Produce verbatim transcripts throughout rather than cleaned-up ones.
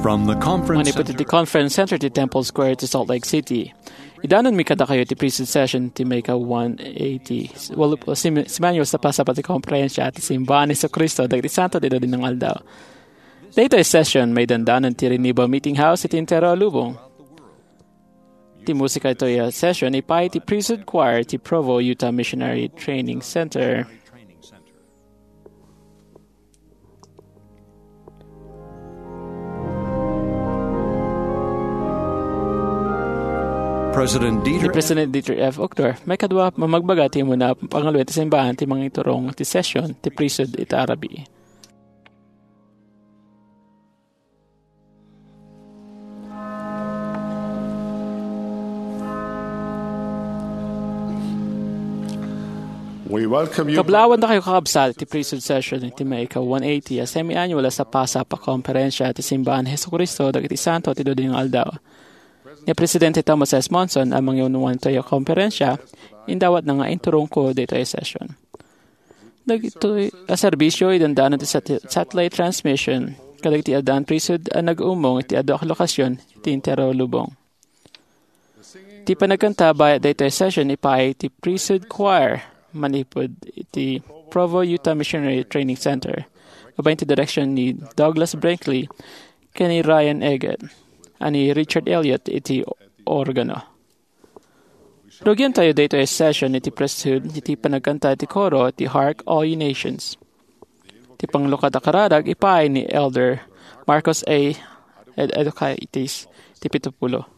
From the conference Manipud iti Conference Center ti Temple Square ti Salt Lake City. Idanonmi kadakayo ti priesthood session ti May ka one eighty. Walup-, si, si Manuel sa pasapa ti komperensia ti Simbahan ni Jesucristo dagiti Santo ti Dudinong Aldaw. Daytoy session, maidandanon ti Riniba Meeting House iti entero a lubong. Ti musika itoy a session, ipay ti Priesthood Choir ti Provo Utah Missionary Training Center. President Ni Dieter President Dieter F. Uchtdorf, maikadua, mamagbaga ti umuna a pangaluet ti simbahan ti mangiturong ti session ti priesthood ita a rabii. We welcome you. Kablaawan dakayo, kakabsat, ti priesthood session iti May ka one eighty a semi-annual a sapasapa a komperensia ti Simbahan ni Jesucristo dagiti Santo ti Dudinong Aldaw. Ni Presidente Thomas S. Monson a mangiunuan itoy a komperensia, indawatna nga inturongko ditoy a session. Dagitoy a serbisio, idandanon ti sat-, satellite transmission kadagiti addaan priesthood a nag-umong iti adu a lokasyon iti entero a lubong. Ti panagkanta bayat daytoy a session, ipay ti Priesthood Choir manipud iti Provo Utah Missionary Training Center, babaen ti direksion ni Douglas Brinkley ken ni Ryan Eggett, a ni Richard Elliott iti organo. Rugiantayo daytoy a session iti priesthood iti panagkanta ti koro ti Hark All Ye Nations. Ti panglukat a kararag ipay ni Elder Marcos A. Ed-, Educaitis ti pitupulo.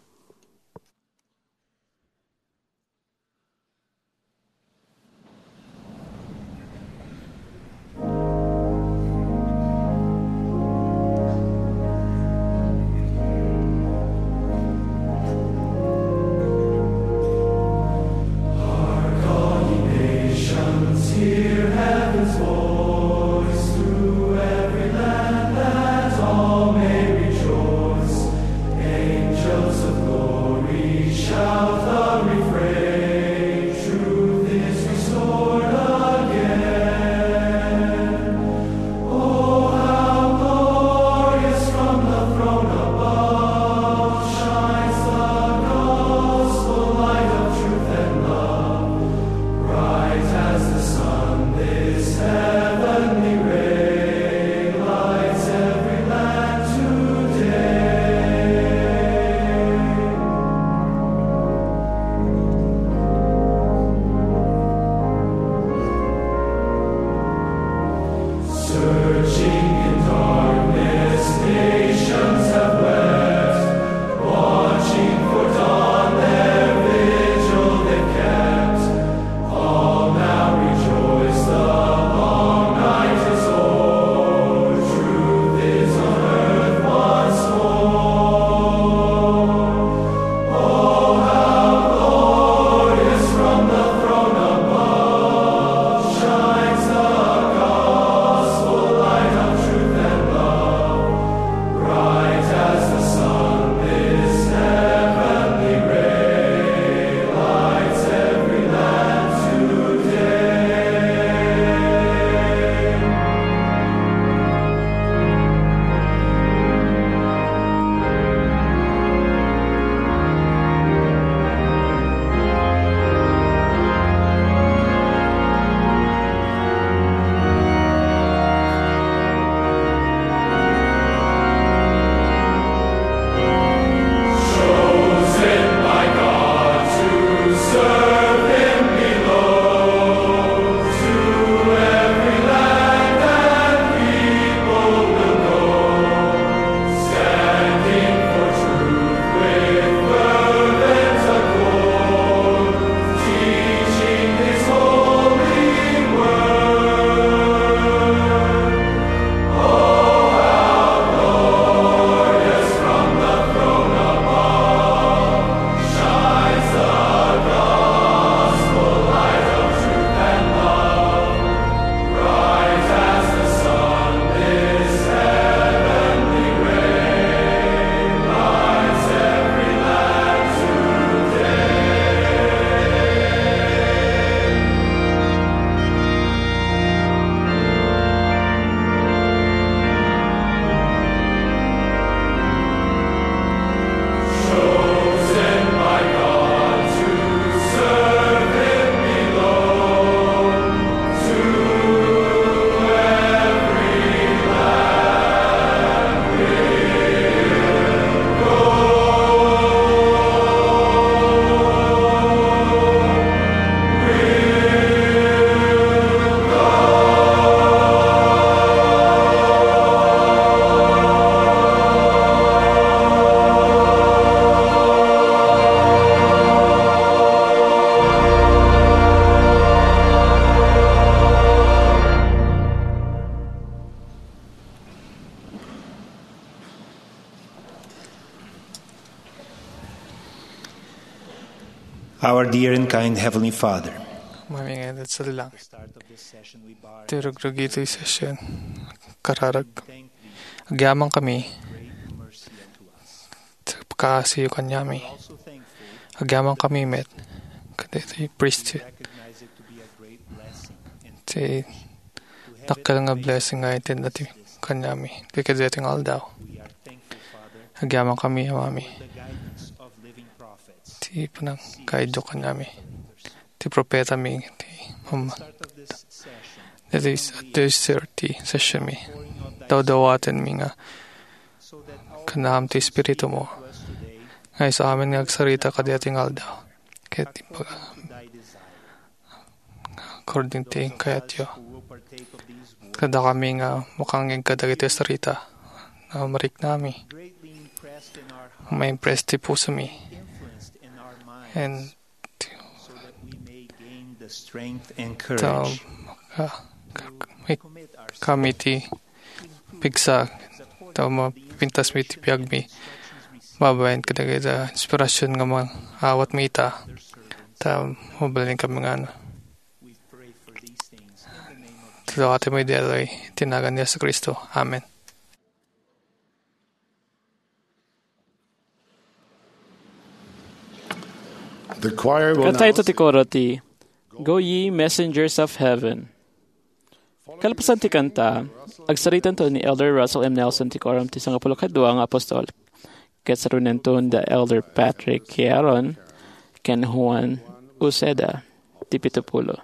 Dear and kind Heavenly Father, Mami nga iti langit. Ti rugrugi ti session. Kararag. Agyaman kami. Ti pakaasiyo kaniami. Agyaman kami met. Kadagiti priesthood. Ti dakkel nga blessing nga itedda ti kaniami. Ti kadagiti nga aldaw. Agyaman kami, Mami. Ti panangkaido kaniami. Ti propetami, ti mama. That is, at this thirty session mi. Dawdawatenmi nga kanam ti Espiritu mo. Nga isu amin nga agsarita kadagiti nga aldaw. Ket ti pag-, according ti kayatyo. Kada kami nga makangngeg kadagiti sarita, na mariknami. Ma-impress ti pusomi. And ta, ka, ka, kami ti pigsa, ta mapintas mi ti biagmi. Babaen kadagiti inspirasyon nga maawat mi ita. Ta mabalin kami nga ano. Tulawati mo iti nagan ni Yesu Cristo. Amen. The choir will now Kanta ito ti koro ti Go Ye Messengers of Heaven. Kalpasan ti kanta, agsaritanto ni Elder Russell M. Nelson ti Quorum ti Sangapulo Kadua nga Apostol. Ket saruenanto da Elder Patrick Queron ken Juan Uceda ti Pitupulo.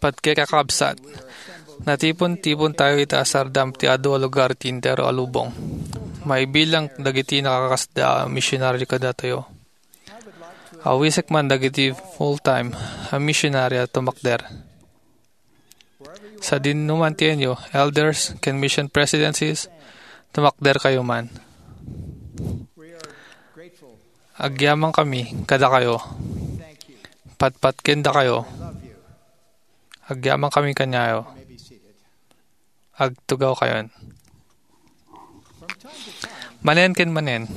Patgek a kakabsat, natipon-tipon tayo ita a sardam ti adu a lugar ti entero a lubong. Maibilang dagiti nakakasda a misionaryo kadatayo. Awisek man dagiti full-time a misionaryo a tumakder. Sadinoman ti inyo, elders, ken mission presidencies, tumakder kayo man. Agyaman kami kadakayo. Patpatken dakayo. Agyaman kami kaniayo. Agtugaw kayon. Manen ken manen,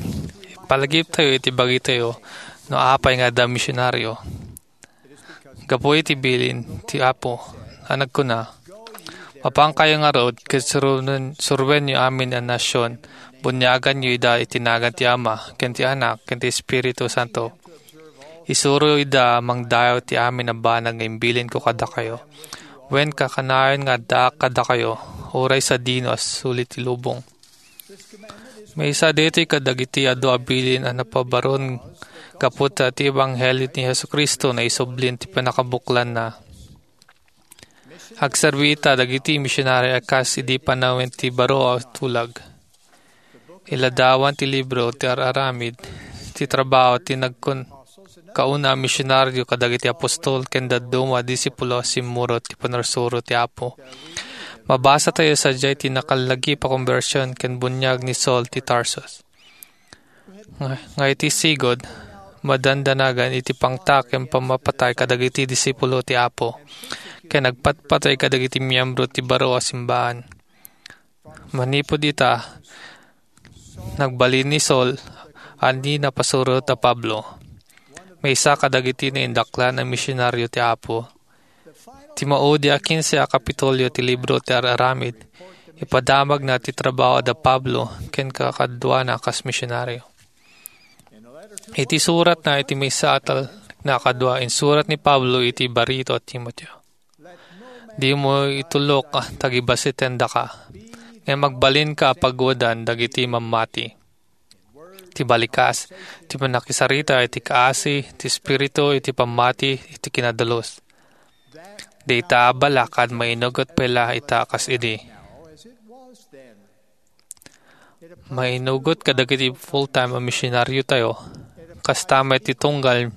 ipalagiptayo iti bagitayo no apay nga adda misionaryo. Gapu iti bilin ti Apo a nagkuna, Mapankayo ngarud ket suruen-, suruenyo amin a nasion, buniaganyo ida iti nagan ti Ama, ken ti Anak, ken ti Espiritu Santo. Isuro ida a mangdayaw ti amin a banag nga imbilinko kadakayo. Wen, kakanayon nga addaak kadakayo, uray sadino a suli ti lubong. Maysa daytoy kadagiti adu a bilin a napabaron gapu ta ti ebanghelio ni Jesu-Cristo naisublin ti pannakabuklanna. Agserbi ita dagiti misionari a kas idi panawen ti baro a tulag. Iladawan ti libro ti ar-aramid ti trabaho ti nagkun-, kauna a misionario kadagiti apostol ken dadduma a disipulo a simmurot ti pannursuro ti Apo. Mabasa tayo sadiay ti nakalagip a konbersion ken buniag ni Saul ti Tarsus. Nga, nga iti sigud, madandanagan iti pangta ken pammapatay kadagiti disipulo ti Apo, ken agpatpatay kadagiti miyembro ti baro a simbaan. Manipud ita, nagbalin ni Saul a ni napasurot a Pablo, maysa kadagiti naindaklan a misionario ti Apo. Ti maudi a kinse a kapitulio ti libro ti Ar-aramid, ipadamagna ti trabaho da Pablo ken kakaduana kas misionario. Iti suratna iti maysa a talna kadua, insurat ni Pablo iti barito a Timoteo, "Dimo itulok a tagibasitendaka, ngem agbalinka a pagwadan dagiti mammati." Ti balikas, ti pannakisarita iti kaasi ti Espiritu iti pammati iti kinadalus. Dayta a balakad mainugot pay la ita kas idi. Mainugot kadagiti full-time a misionariotayo, kasta met ti tunggal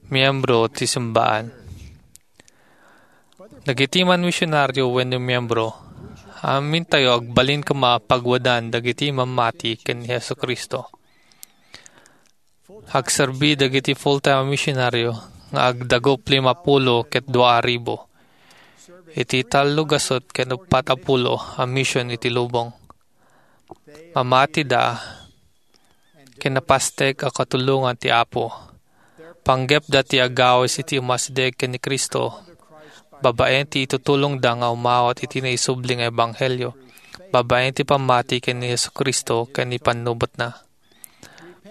miyembro ti simbaan. Dagiti man misionario wenno miyembro, amintayo agbalin koma a pagwadan dagiti mammati ken ni Jesu-Cristo. Agserbi dagiti full-time a misionario nga agdagup limapulo ket dua a ribu iti tallo gasut ken uppat a pulo a mision iti lubong. Mamatida ken napastek a katulongan ti Apo. Panggepda ti agawis iti umasideg ken ni Cristo babaen ti itutulongda nga umawat iti naisubli nga ebanghelio, babaen ti pammati ken ni Jesu-Cristo ken ni pannubotna.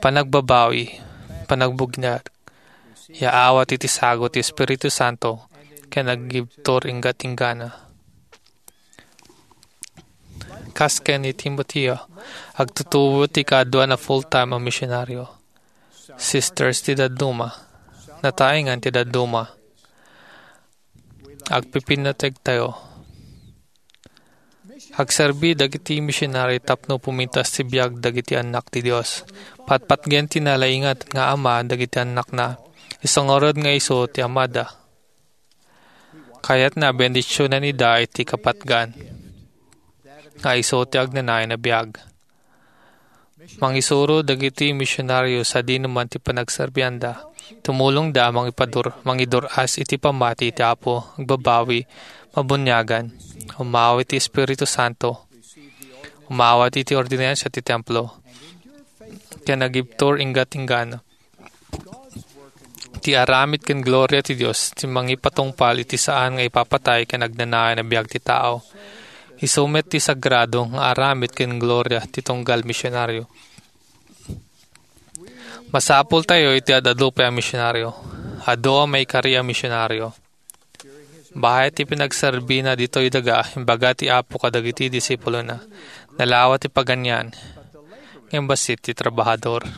Panagbabawi, panagbugnag, yaawat iti sagut ti Espiritu Santo, ken agibtur inggat-inggana. Kas ken ni Timoteo, agtutubo ti kaduan a full-time a misionario. Sisters ti dadduma, nataengan ti dadduma. Agpipinateg tayo. Agserbi dagiti misionari tapno pumintas ti biag dagiti annak ti Dios. Patpatgen ti nalaingatan nga Ama dagiti annakna. Isu ngarud nga isu ti Amada. Kayatna bendisionan ida iti kapatgan nga isu ti agnanayon a biag. Mangisuro dagiti misionario sadino man ti panagserbianda. Tumulongda a mangipadur-, mangidur-as iti pammati ti Apo, agbabawi, mabuniagan, umawat ti Espiritu Santo, umawat iti ordinansa ti templo, ken agibtur inggat-inggana. Ti aramid ken gloria ti Dios ti mangipatungpal iti saan nga ipapatay ken agnanayon a biag ti tao. Isu met ti sagrado nga aramid ken gloria ti tunggal misionario. Masapultayo iti ad-adu pay a misionario. Adu a maikari a misionario. Baket ti pinagserbina ditoy daga, imbaga ti Apo kadagiti disipulona, "Nalawa ti paganian, ngem bassit ti trabahador."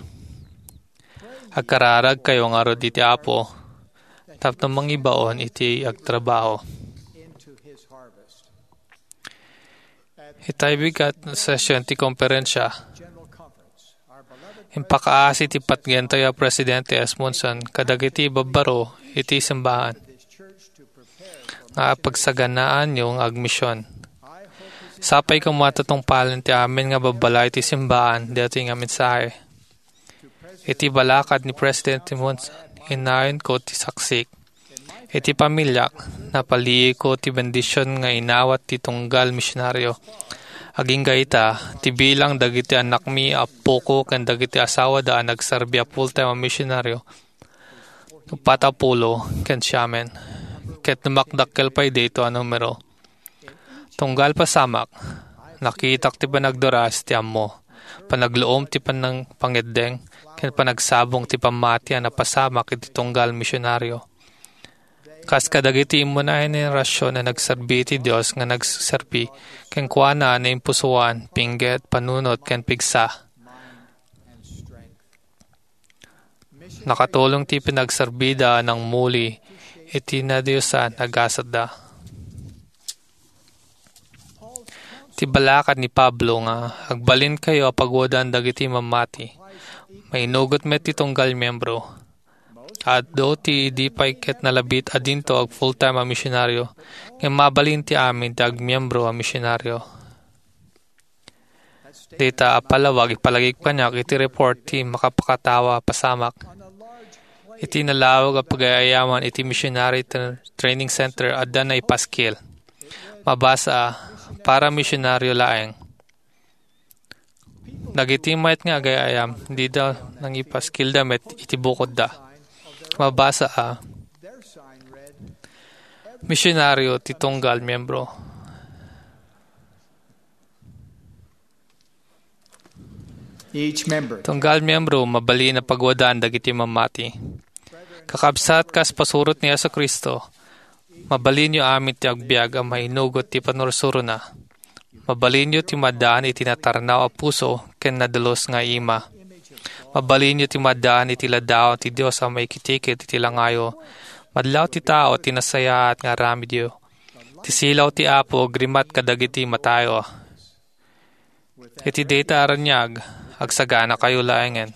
Agkararagkayo ngarud iti Apo tapno mangibaon iti agtrabaho. Itay bigat nga session ti konferensia, impakaasi ti patgentayo a Presidente S. Monson kadagiti babbaro iti simbahan nga pagsaganaanyo nga agmision. Sapay koma ta tungpalen ti amin nga babbalay ti simbahan daytoy nga mensahe. Iti balakad ni Presidente Monson, inayonko ti saksik. Iti pamiliak, napaliiko ti bendision nga inawat ti tunggal misionario. Agingga ita, ti bilang dagiti annakmi, appoko, ken dagiti asawada a nagserbi a full-time a misionario, uppat a pulo ken siamen, ket dumakdakkel pay daytoy a numero. Tunggal pasamak, nakitak ti panagduras ti ammo, panagluom ti panang-, pangeddeng, ken panagsabong ti pammati a napasamak iti tunggal misionaryo. Kas kadagiti immuna a henerasyon a nagserbi iti Dios nga nagserbi kenkuana a naimpusoan, pingget, panunot, ken pigsa. Nakatulong ti panagserbida a nangmuli iti nadiosan a gasatda. Ti balakad ni Pablo nga, "Agbalinkayo a paguadan dagiti mamati." Mainugot met ti tunggal miyembro. Adu ti idi pay ket nalabit a dinto ag full-time a misionaryo, ngem mabalin ti amin ti agmiyembro a misionaryo. Dayta a palawag ipalagip kaniak iti report ti makapakatawa a pasamak. Iti nalawag a pagay-ayaman iti Missionary Tra-, Training Center, adda naipaskil. Mabasa a, "Para misionaryo laeng." Dagiti mayat nga agay-ayam, dida nangipaskilda met iti bukodda. Mabasa a, "Misionaryo ti tunggal miyembro." Each member. Tunggal miyembro, mabalin a paguadan dagiti mamati. Kakabsat, kas pasurot ni Jesu-Cristo, mabalinyo amin ti agbiag a mainugot ti panursurona. Mabalinyo ti maddaan iti natarnaw a puso ken nadulus nga ima. Mabalinyo ti maddaan iti ladawan ti Dios a maikitikit iti langayo. Madlaw ti tao ti nasayaat nga aramidyo. Ti silaw ti Apo agrimat kadagiti matayo. Iti dayta a raniag, agsaganakayo laengen.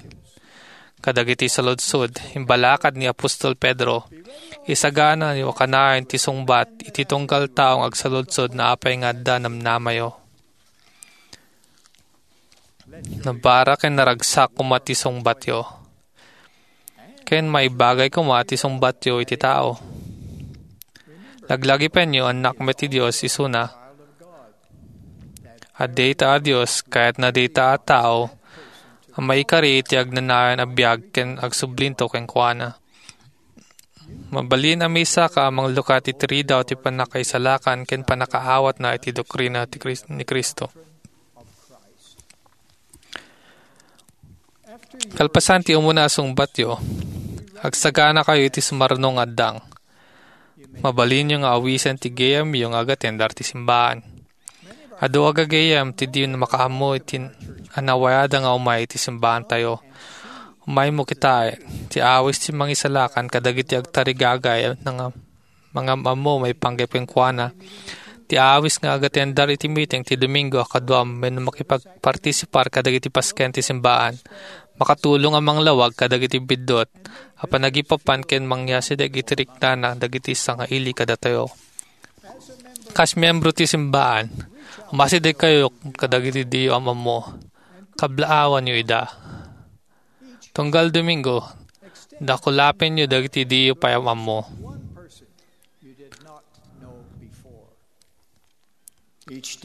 Kadagiti saludsod, imbalakad ni apostol Pedro, isaganakayo kanayon ti sungbat iti tunggal taong agsaludsod no apay nga adda namnamayo. Nabara ken naragsak koma ti sungbatyo. Ken maibagay koma ti sungbatyo iti tao. Laglagipenyo, annak met ti Dios isuna. A dayta a Dios, kayatna dayta a tao a maikari iti agnanayon a biag ken agsublinto kenkuana. Mabalin a maisaka a manglukat iti ridaw ti pannakaisalakan ken pannakaawatna iti doktrina ti Kris-, ni Cristo. Kalpasan ti umuna a sungbatyo, agsaganakayo iti sumarno nga addang. Mabalinyo nga awisen ti gayyemyo nga agatendar ti simbaan. Adu a gagayyem ti di makaammo iti a nawayada nga umay iti simbaantayo. Umaymo kitaen, ti awis ti mangisalakan kadagiti agtarigagay nga mangam-ammo maipanggep kenkuana. Ti awis nga agatendar iti meeting ti Domingo a kaduam wenno makipagpartisipar kadagiti pasken ti simbaan, makatulong a manglawag kadagiti biddut a panagipapan ken mangyasideg iti riknana dagiti sangaili kadatayo. Kas miyembro ti simbaan, umasidegkayo kadagiti diyo am-ammo. Kablaawanyo ida. Tunggal Domingo, dakulapenyo dagiti diyo pay am-ammo.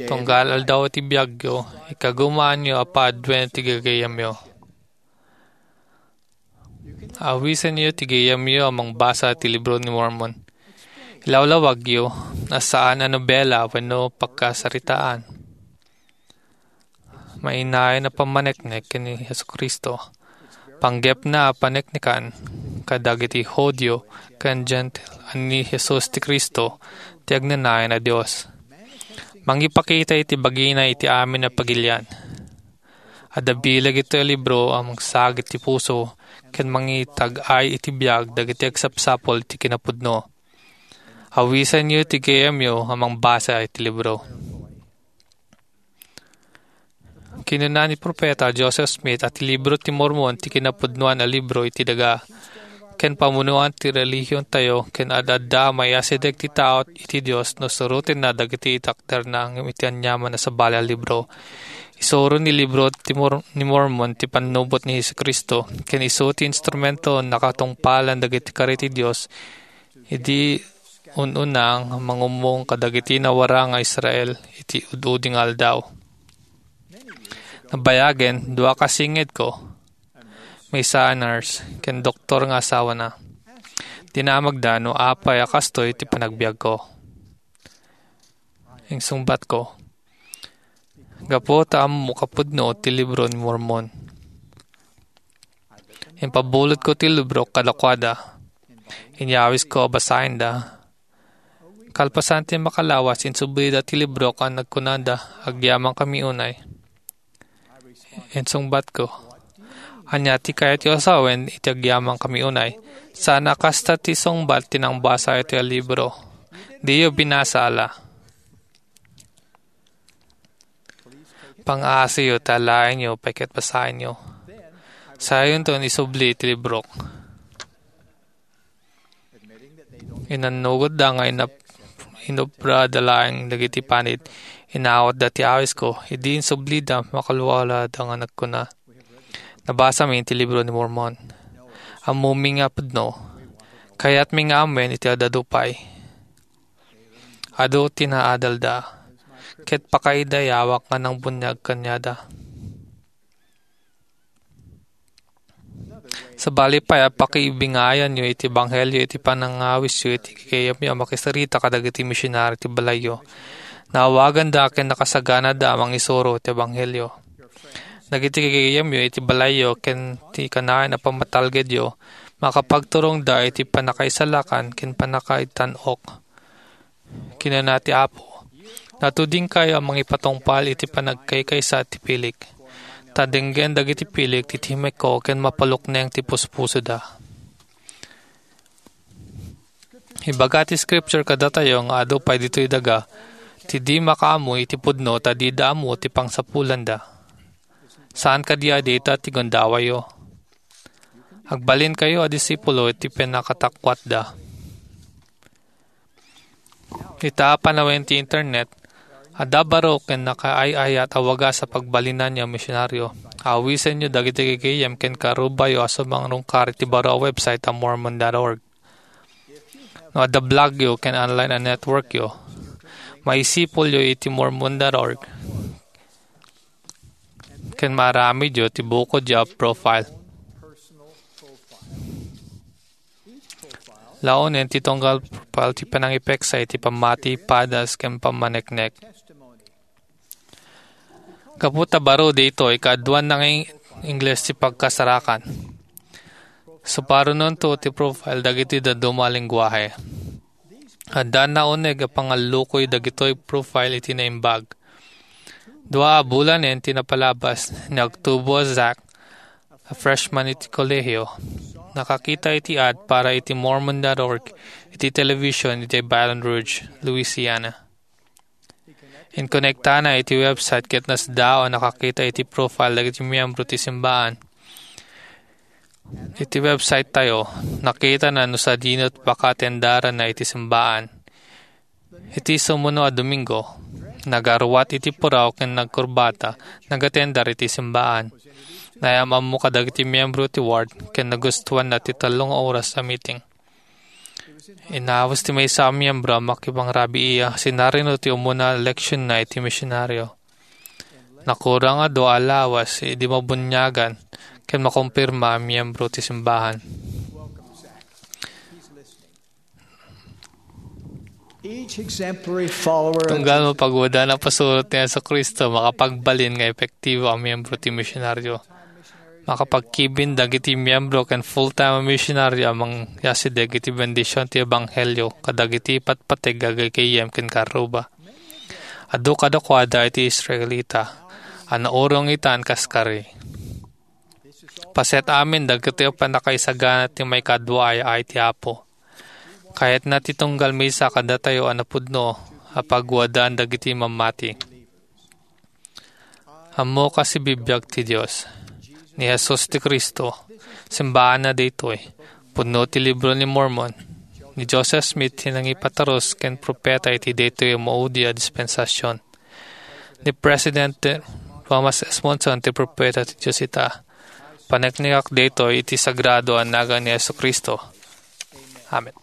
Tunggal aldaw ti biagyo, ikagumaanyo a paaduen ti gagayyemyo. Awisenyo ti gayyemyo a mangbasa ti Libro ni Mormon. Ilawlawagyo a saan a nobela wenno pagkasaritaan. Mainayon a pammaneknek ken ni Jesu-Cristo. Panggepna a paneknekan kadagiti Judio ken Gentile a ni Jesus ti Cristo ti agnanayon a Dios. Mangipakita iti bagina iti amin a pagilian. Adda bileg iti libro a mangsagit ti puso ken mangitag-ay iti biag dagiti agsapsapul iti kinapudno. Awisenyo ti gayyemyo a mangbasa iti libro. Kinuna ni Profeta Joseph Smith a ti Libro ti Mormon ti kinapudnoan a libro iti daga ken pamunuan ti relihiontayo ken ad-adda a maiyasideg ti tao iti Dios no surotenna dagiti itakderna ngem iti aniaman a sabali a libro. Isuro ni Libro ti Mor-, ni Mormon ti pannubot ni Jesu-Cristo ken isu ti instrumento a nakatungpalan dagiti kari ti Dios idi un-una nga mangummong kadagiti nawarang nga Israel iti ud-udi nga aldaw. Nabayagen, dua kasingedko, maysa a nurse ken doktor nga asawana. Dinamagda no apay a kastoy ti panagbiagko. Insungbatko, gapu ta ammok a pudno ti libro ni Mormon. Impabulotko ti librok kadakuada. Inyawisko a basaenda. Kalpasan ti makalawas, insublida ti librok a nagkunada, "Agyamankami unay." Insungbatko, "Ania ti kayatyo a sawen iti agyamankami unay? Saan a kasta ti sungbat ti nangbasa iti libro. Diyo binasa, ala." Pang-aasiyo ti alaenyo pay ket basaenyo. Sayonton isubli ti librok. Inannogotda nga inap-, inubrada laeng dagiti panit. Inawatda ti awisko. Idi insublida, makalwalada nga nagkuna, "Nabasami ti libro ni Mormon. Ammomi nga pudno. Kayatmi nga ammoen iti adda pay. Adu ti naadalda, ket pakaidayawak nga nangbuniag kaniada." Sabali pay a pakibingayanyo iti ebanghelio iti panangawisyo iti gayyemyo a makisarita kadagiti misionari ti balayyo. Naawaganda ken nakasaganada a mangisuro ti ebanghelio. Dagiti gayyemyo iti balayyo ken ti kanayon a pammatalgedyo, makapagturongda iti pannakaisalakan ken pannakaitan-ok. Kinuna ti Apo, "Natudingkayo a mangipatungpal iti panagkaykaysa ti pilik. Ta denggen dagiti pilik ti timekko ken mapalukneng ti puspusoda." Ibaga ti Scripture kadatayo nga adu pay ditoy daga ti di makaammo iti pudno ta dida ammo ti pangsapulanda. Saan kadi a dayta ti gundawayyo? Agbalinkayo a disipulo iti pannakatakuatda. Ita a panawen ti internet, adda baro ken nakaay-ayat a wagas a pagbalinanyo a misionaryo. Awisenyo dagiti gagayyem ken karubayo a sumangrungkar iti baro a website a mormon dot org. No adda blogyo ken online a networkyo, maisipulyo iti mormon dot org ken maaramidyo ti bukodyo a profile. Laonen ti tunggal profile ti panangipeksa iti pammati, padas, ken pammaneknek. Gapu ta baro daytoy, kaaduanna nga Ing-, Ingles ti pagkasarakan. Suparononto ti profile dagiti dadduma a lengguahe. Adda nauneg a pangallukoy dagitoy profile iti naimbag. Dua a bulanen ti napalabas ni Agtubo a Zach, a freshman iti kolehio, nakakita iti ad para iti mormon dot org iti television iti Baton Rouge, Louisiana. Inkonektana iti website ket nasdaaw a nakakita iti profile dagiti miyembro ti simbaan. Iti website tayo, nakitana no sadino ti pakatendaranna iti simbaan. Iti sumuno a Domingo, nagaruat iti puraw ken nagkurbata, nagatendar iti simbaan. Naayam-ammo kadagiti miyembro ti ward ken nagustuanna ti tallo nga oras a meeting. Inawis ti maysa a miyembro a makipangrabii a sinarino ti umuna a leksionna iti misionaryo. Nakurang a dua a lawas idi mabuniagan ken makumpirma a miyembro ti simbahan. Each exemplary follower of Tunggal mapaguadan a pasurot ni Jesu-Cristo, makapagbalin nga epektibo a miyembro ti misionaryo. Makapagkibin dagiti miyembro ken full-time a misionaryo a mangyasideg iti bendision ti ebanghelio kadagiti patpateg a gagayyem ken karuba. Adu kadakuada iti Israelita a naurong itan kas kari. Paset amin dagiti pannakaisagana ti maikadua a yaay ti Apo. Kayatna ti tunggal maysa kadatayo a napudno a paguadan dagiti mammati. Ammok a sibibiag ti Dios, ni Jesus ti Cristo, simbaanna daytoy, pudno ti libro ni Mormon, ni Joseph Smith ti nangipatarus ken propeta iti daytoy a maudi a dispensasyon. Ni President Thomas S. Monson ti propeta ti Dios ita. Paneknekak daytoy iti sagrado a nagan ni Jesu-Cristo. Amen.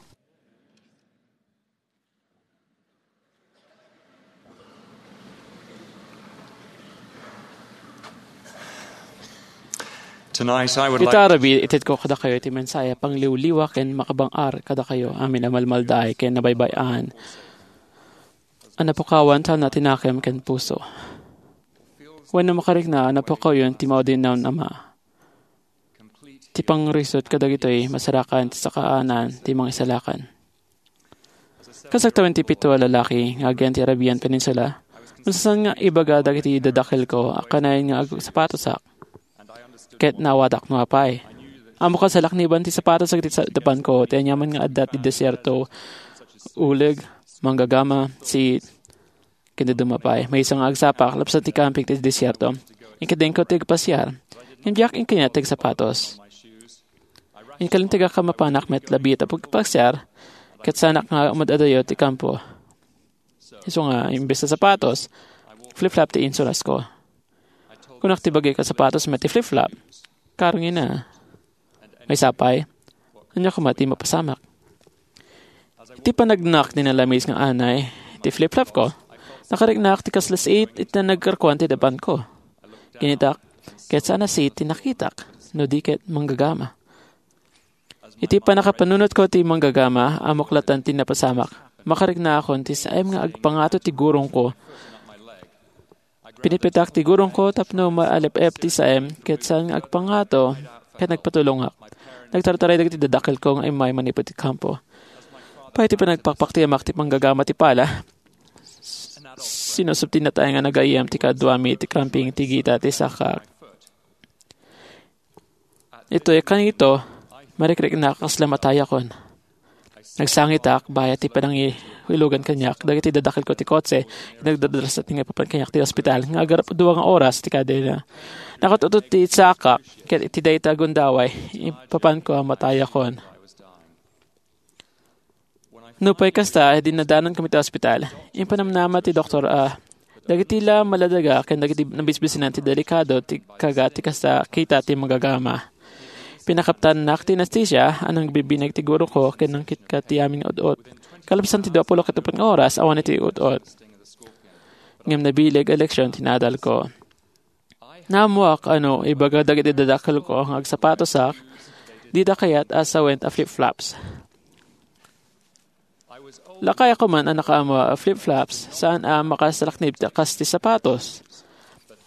Tonight, I would like Ita rabii, itedko kadakayo iti mensahe a pangliwliwa ken makabang-ar kadakayo amin a malmaldaay ken nabaybay-an. a napukawan ta natinakem ken puso. Wenno makarikna a napukawen ti maudinnawen a ama. Ti pangrisut kadagitoy masarakan ti sakaanan ti mangisalakan. Kas agtawen ti pito a lalaki nga agyan ti Arabian Peninsula, masasaan nga ibaga dagiti dadakkelko a kanayon nga agsapatosak. Ket naawatak no apay. Ammok a salakniban ti sapatos dagiti sa-, dapanko, ti aniaman nga adda ti desierto, uleg, manggagama, siit, ken dadduma pay. Maysa nga agsapak, lapsat ti kamping ti desierto. Inkadengko ti agpasiar. Ngem diak inkayat ti agsapatos. Inkalintegak a mapanak met labiit a pagpasiar, ket saanak nga umad-adayo ti kampo. Isu nga, imbes a sapatos, flip-flop ti insurasko. Kunak ti bagik a sapatos met ti flip-flop. Karngina. Maysa pay, ania koma ti mapasamak? Iti panagnak ti nalamis nga anay ti flip-flop ko, nakariknak ti kasla siit iti nagkarkuan ti dapanko. Kinitak, ket saan a siit ti nakitak, no di ket manggagama. Iti pannakapanunotko ti manggagama, ammok latta ti napasamak. Makariknakon ti saem nga agpangato ti gurongko. Pinipitak ti gurongko tapno maalep-ep ti saem, ket saan nga agpangato, ket nagpatulongak. Nagtartaray dagiti dadakkelko nga immay manipud ti kampo. Pay ti panagpakpaktiamak ti panggagama ti pala, sinusubtinna tayo nga nagayyem ti kaduami ti kamping ti gita ti sakak. Itoy kanito, marikriknak kasla matayakon. Nagsangitak, bayat ti panangilugan kaniak, dagiti dadakkelko ti kotse, nagdadrasat nga ipapan kaniak ti ospital, nga agarap dua nga oras ti kadena. Nakatutut ti sakak, ket iti dayta gundaway, ipapanko a matayakon. Nupay kasta, dinnadanan kami ti ospital. Impanamnama ti doktor a dagiti la maladaga ken dagiti nabisbisinan ti delikado ti kaga ti kasta kita ti manggagama. Pinakaptannak ti anestesia a nangbibineg ti guroko ken nangkitka ti amin nga ut-ot. Kalabsan ti dua pulo ket uppat nga oras, awan iti ut-ot. Ngem nabileg a leksion ti naadalko. Naammoak a no ibaga dagiti dadakkelko nga agsapatosak, dida kayat a sawen a flip-flops. Lakay a kuman a nakaammo a flip-flops, saan a makasalaknib ti kas ti sapatos.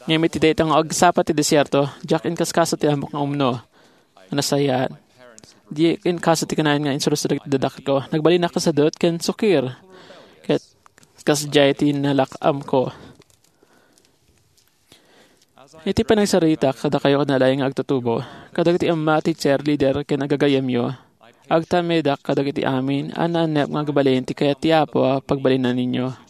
Ngem iti dayta nga agsapa ti desierto, diak inkaskaso ti ammok nga umno. Nasayaat. Diak inkaso ti kanayon nga insursuro dagiti dadakkelko. Nagbalinak a sadut ken sukir. Ket kasdiay ti nalak-amko. Iti panagsaritak kadakayo nga laeng nga agtutubo, kadagiti amma ti cheerleader ken agagayyemyo, agtamedak kadagiti amin a naanep nga agbalin ti kayat ti Apo a pagbalinanyo.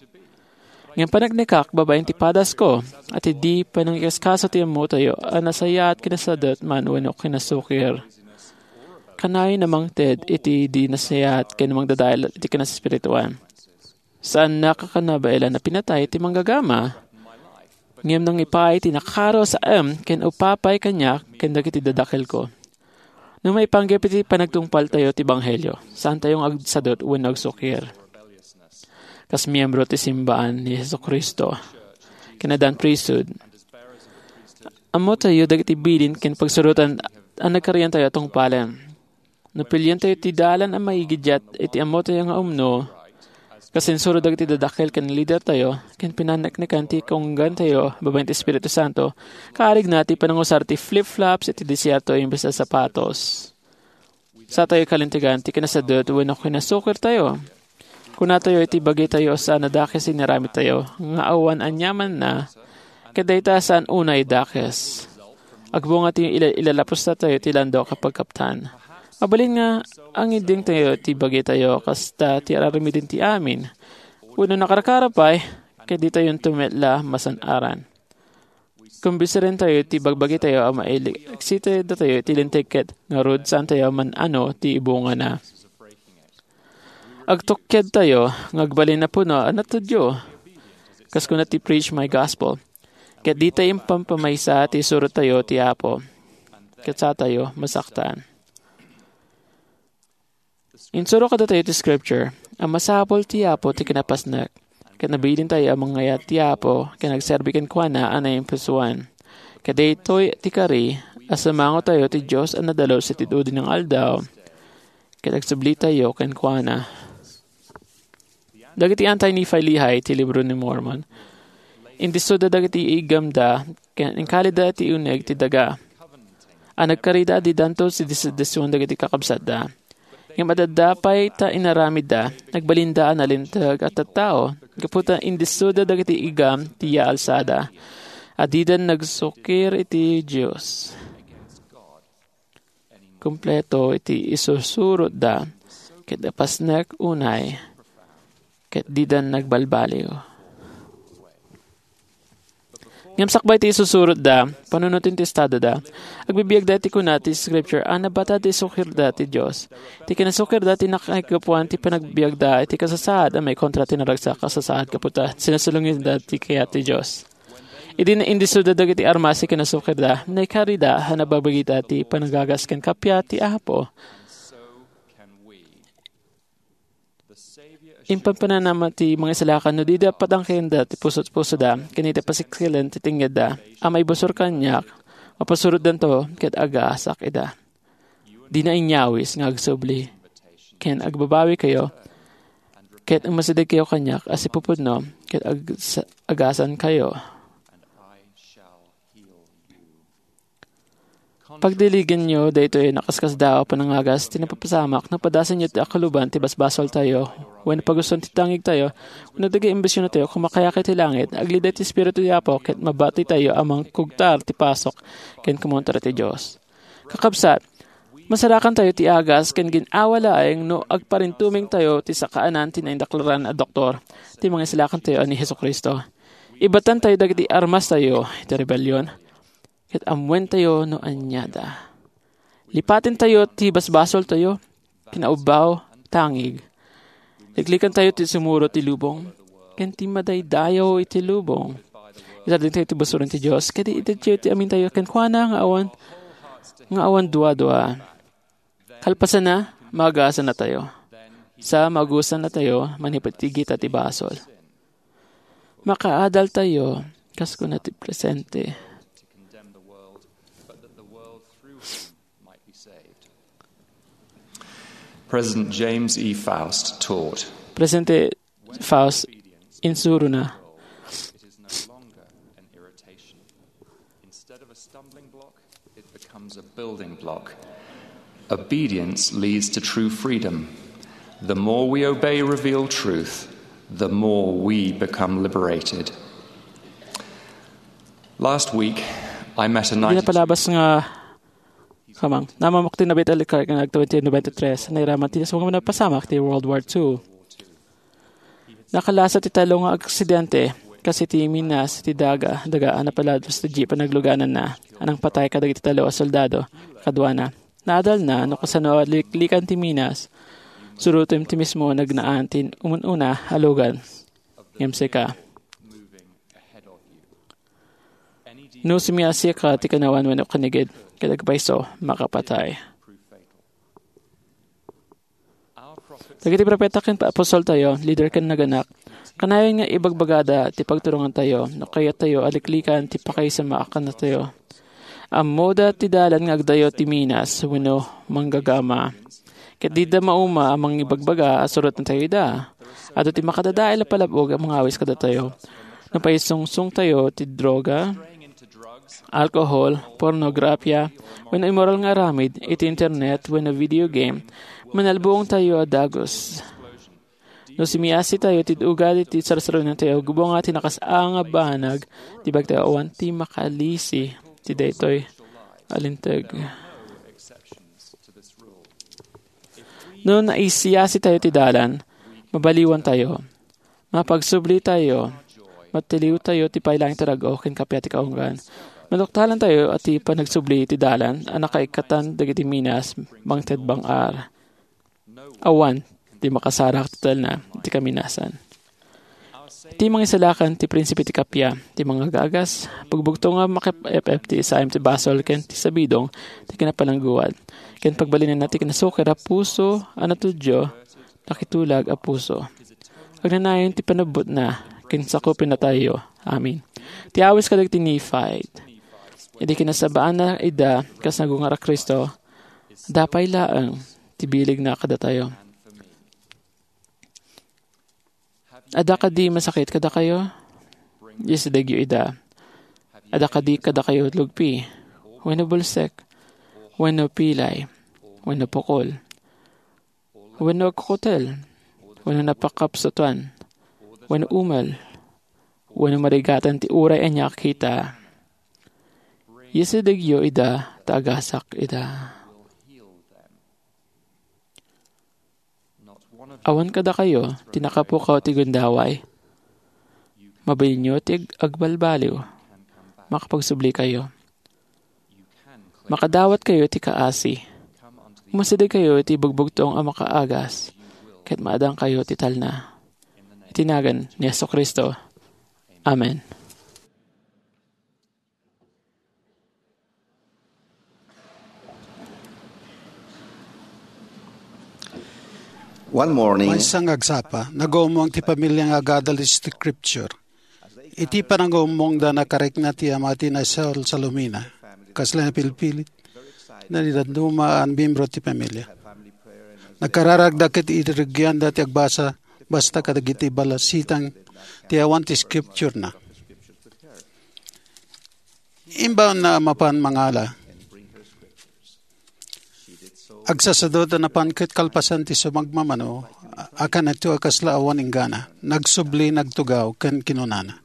Ngem paneknekak babaen ti padasko, a ti di panangikaskaso ti ammotayo a nasayaat ken nasadut man wenno kinasukir. Kanayon a mangted iti di nasayaat ken mangdadael iti kinaspirituan. Saannak a kanabaelan a pinatay ti manggagama, ngem nangipaay ti nakaro a saem ken upapay kaniak ken dagiti dadakkelko. No maipanggep iti panagtungpaltayo ti ebanghelio, saantayo nga agsadut wenno agsukir. Kas miembro ti simbaan ni Jesu-Cristo, kinadan priesthood, ammotayo dagiti bilin ken pagsurotan a nagkariantayo a tungpalen. No pilientayo ti dalan a maigiddiat iti ammotayo nga umno, kas insuro dagiti dadakkel ken lidertayo, ken pinaneknekan ti kaunggantayo babaen ti Espiritu Santo, kaarigna ti panangusar ti flip-flops iti desierto imbes a sapatos. Satayo kalintegan ti kinasadut wenno kinasukirtayo. Kunatayo iti bagitayo a saan a dakes ti inaramidtayo, nga awan aniamanna, ket dayta saan unay dakes. Agbunga ti ila-, ilalapusatayo ti landok a pagkaptan. Mabalin nga angidingtayo ti bagitayo kasta ti ar-aramiden ti amin. Wenno nakarkara pay, ket ditayonto met la masan-aran. Kumbisirentayo ti bagbagitayo a mailiksitdatayo iti linteg ket ngarud saantayo man-ano ti ibungana. Agtukkedtayo nga agbalin a puno a natudyo. Kas kuna ti Preach My Gospel, ket ditay impampamaysa ti isurotayo ti Apo, ket satayo masaktan. Insuro kadatayo ti Scripture a masapul ti Apo ti kinapasnek, ket nabilintayo a mangngayat ti Apo ken agserbi kenkuana a naimpusoan. Ket daytoy ti kari a sumangotayo ti Dios a nadalus iti dudi nga aldaw, ket agsublitayo kenkuana. Dagiti anti-Nephi-Lehi ti libro ni Mormon, indissoda dagiti iggamda ken inkalida ti uneg ti daga a nagkarida a didanto ti disension dagiti kakabsatda. Ngem adda pay ta inaramidda, nagbalinda a nalinteg a tattao, gapu ta indissoda dagiti igam ti yaalsada, a didan nagsukir iti Dios. Kompleto iti isusurotda, ket napasnek unay, ket didan nagbalbaliw. Ngem sakbay ti isusurotda, panunoten ti estadada, agbibiagda iti kuna ti Scripture a nabatad ti sukirda ti Dios. Ti kinasukirda ti nakaigapuan ti panagbiagda iti kasasaad a maikontra ti naragsak a sasaad gapu ta sinasalunginda ti kayat ti Dios. Idi naindissoda dagiti armas ti kinasukirda, naikarida a nababagida ti panagagas ken kappia ti Apo. Impanpananama ti mangisalakan no dida patangkenda ti puso-pusoda ken iti pasiksilen ti tengngeedda a maibusor kaniak, mapasurotdanto ket agaasak ida. Dina inyawis nga agsubli ken agbabawikayo ket umasidegkayo kaniak a sipupudno ket ag-, agasankayo. Pagdiligenyo daytoy a nakaskasdaaw a panangagas ti napapasamak no padasenyo ti akuluban ti basbasoltayo wenno pagustuan ti tangigtayo wenno dagiti ambisiontayo. Kumakayakay ti langit, aglida ti Espiritu ti Apo, ket mabatitayo a mangkugtar ti pasok ken kumontra ti Dios. Kakabsat, masarakantayo ti agas ken gin-awa laeng no agparintumengtayo ti sakaanan ti naindaklaran a doktor ti Mangisalakantayo a ni Jesu-Cristo. Ibatantayo dagiti armastayo iti rebellion, ket ammoentayo no aniada. Lipatentayo ti basbasoltayo, kinaubbaw, tangig. Liklikantayo ti sumuro ti lubong, ken ti madaydayaw iti lubong. Itardingtayo ti busoren ti Dios, ket itedyo ti amintayo kenkuana nga awan, nga awan duadua. Kalpasanna, maagasanatayo. Sa maagusannatayo, manipud ti gita ti basol. Makaadaltayo, kas kuna ti presente. President James E. Faust taught, Presidente Faust, insurona. It is no longer an irritation. Instead of a stumbling block, it becomes a building block. Obedience leads to true freedom. The more we obey revealed truth, the more we become liberated. Last week, I met a Hindi na ninety palabas nga kamang. Namamok ti nabit alikar nga nagtawid ti ninety-three. Nairaman ti sa mga napasamak ti World War Two. Nakalasa ti talo nga aksidente, kasi ti minas ti daga, daga a napalabas ti jeep a naglugananna, a nangpatay kadagiti talo a soldado, kaduana. Naadalna no kasano a liklikan ti minas, surotem ti mismo a nagnaan ti umun-una a lugan. Ngem sika. No sumiasika ti kanawan wenno kanigid, ket agpayso, makapatay. Dagiti propeta ken apostoltayo, lider ken naganak, kanayon nga ibagbagada ti pagturongantayo no kayattayo a liklikan ti pakaisamaakantayo. Ammoda ti dalan nga agdayo ti minas wenno manggagama. Ket dida mauma a mangibagbaga a surotantayo ida. Adu ti makadadael a palab-og a mangawis kadatayo. No paisungsongtayo ti droga, alcohol, pornografia, wenno immoral nga aramid iti internet wenno video game, manalbuongtayo a dagus. No sumiasitayo ti ugali ti sarsarunatayo, gubonga ti nakas-a nga banag ti bagtayo awan ti makalisi ti daytoy a linteg. No naisiasitayo ti dalan, mabaliwantayo. Mapagsublitayo. Matiliwtayo ti paylaeng ti rag-o ken kappia ti kaunggan. Maduktalantayo a ti panagsubli ti dalan a nakaikatan dagiti minas mangted bang-ar. Awan ti makasarak ti talna iti kaminasan. Ti mangisalakan ti prinsipe ti kappia, ti mangagagas, pagbugto nga makep-ep ti isaem ti basol ken ti sabidong ti kinapalangguad, ken pagbalinenna ti kinasukir a puso a natudyo, nakitulag a puso. Agnanayon ti panabbutna ken sakupennatayo. Amen. Ti awis kadagiti Nephite. Idi kinasabaanna ida kas nagungar a Cristo, dapay laeng ti biligna kadatayo. Adda kadi masakit kadakayo? Isidegyo ida. Adda kadi kadakayo lugpi, wenno bulsek, wenno pilay, wenno pukol, wenno agkukutel, wenno napakapsatuan, wenno umel, wenno marigatan ti uray ania a kita? Isidegyo ida ta agasak ida. Awan kadakayo ti nakapukaw ti gundaway? Mabalinyo ti ag-, agbalbaliw. Makapagsublikayo. Makadawatkayo ti kaasi. Umasidegkayo iti bugbugtong a makaagas, ket maadangkayo ti talna. Iti nagan ni Jesu-Cristo. Amen. One morning, maysa nga agsapa, nagumong ti pamilia nga agadal iti Scripture. Iti panangumongda, nakarikna ti ama ti naisalsalumina. Kasla napilpilit, nanidadduma a miyembro ti pamilia. Nagkararagda ket irugianda ti agbasa, basta kadagiti balasitang ti awan ti Scripture-na. Imbaonna a mapan mangala, agsasadot a napan ket kalpasan ti sumagmamano a, a kanito a kasla awan inggana. Nagsubli, nagtugaw, ken kinunana,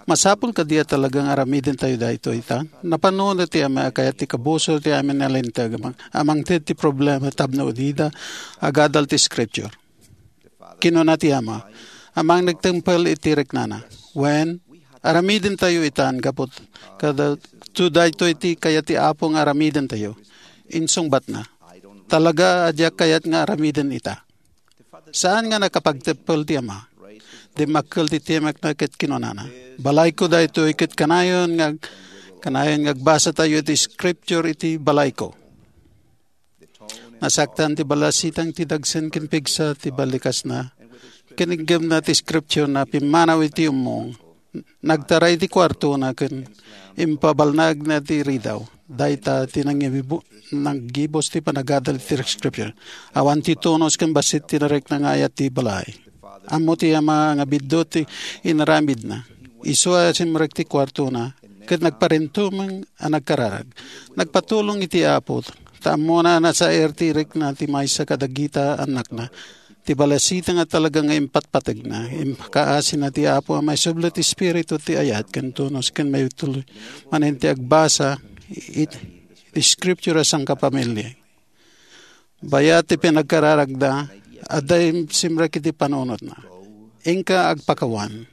"Masapul kadi a talaga nga aramidentayo daytoy ita? Napano ti ama a kayat ti kabusor ti amin a linteg a mang-, a mangted ti problema tapno unida agadal ti Scripture?" Kinuna ti ama, "Amang nagtempel iti riknana. Wen, aramidentayo itan gapu kada to daytoy ti kayat ti Apo nga aramidentayo." Insungbatna, "Talaga a diak kayat nga aramiden ita." Saan nga nakapagtempel ti ama. Dimmakkel ti timekna ket kinunana, "Balayko daytoy ket kanayon nga ag-, kanayon nga agbasatayo iti Scripture iti balayko." Nasaktan ti balasitang ti dagsen ken pigsa ti balikasna. Kiniggemna ti Scripture-na, pimmanaw iti ummong. Nagtaray ti kuartona ken impabalnagna ti ridaw. Dayta ti nangibibu-, nanggibus ti panagadal iti Scripture. Awan ti tunos ken bassit ti narikna nga ayat ti balay. Ammo ti ama nga biddut ti inaramidna. Isu a simrek ti kuartona, ket nagparintumeng a nagkararag. Nagpatulong iti Apo, ta ammona a nasair ti rikna ti maysa kadagita a annakna. Ti balasitang a talaga nga impatpategna, impakaasina ti Apo a maisubli ti espiritu ti ayat ken tunos ken maituloy manen ti agbasa it, it scripture a sangkapamilya. Bayat ti pinagkararagda, adda simrek iti panunotna. Inka agpakawan.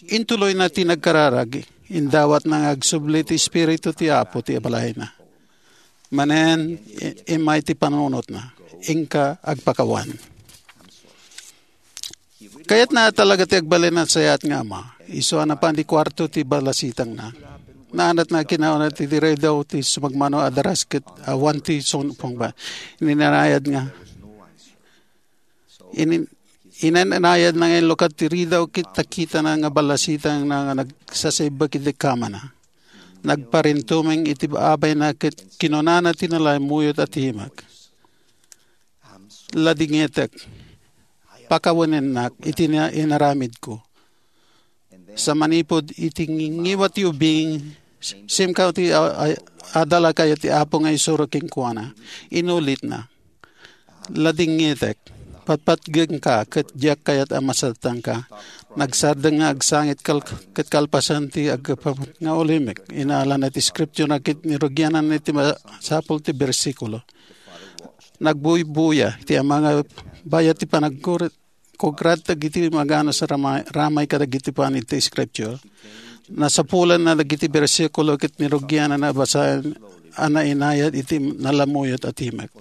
Intuloyna ti nagkararag, indawatna nga agsubli ti Espiritu ti Apo ti balayna. Manen, i-, immay ti panunotna, inka agpakawan. Kayatna talaga ti agbalin a nasayaat nga ama. Isu a napan ti kuarto ti balasitangna. Naanatna kinauna ti ridaw ti sumagmamano a daras ket awan ti sungpungba. Ininanayad nga. Inin-, inanayad na nga inlukad ti ridaw ket nakitana nga balasitangna nga nagsasaibbek iti kamana. Nagparintumeng iti abayna ket kinunana ti nalaymuyot a timek, "Ladingetek, pakawanennak iti na-, inaramidko." Sa manipud iti ngingiwa ti ubing, simkaw ti a-, a-, adal a kayat ti Apo nga isuro kenkuana. Inulitna, "Ladingetek, patpatgengka, ket diak kayat a masatangka." Nagsardeng nga agsangit kal-, ket kalpasan ti aggapu nga ulimek. Inalana ti scripture na ket nirugianna iti masapul ti bersikulo. Nagbuybuya ti ama nga bayat ti panagkurit, kugrat dagiti maganus a ramay, ramay kadagiti panit ti Scripture. Nasapulanna dagiti bersikulo ket nirugianna a basaen a nainayad iti nalamuyot a timek.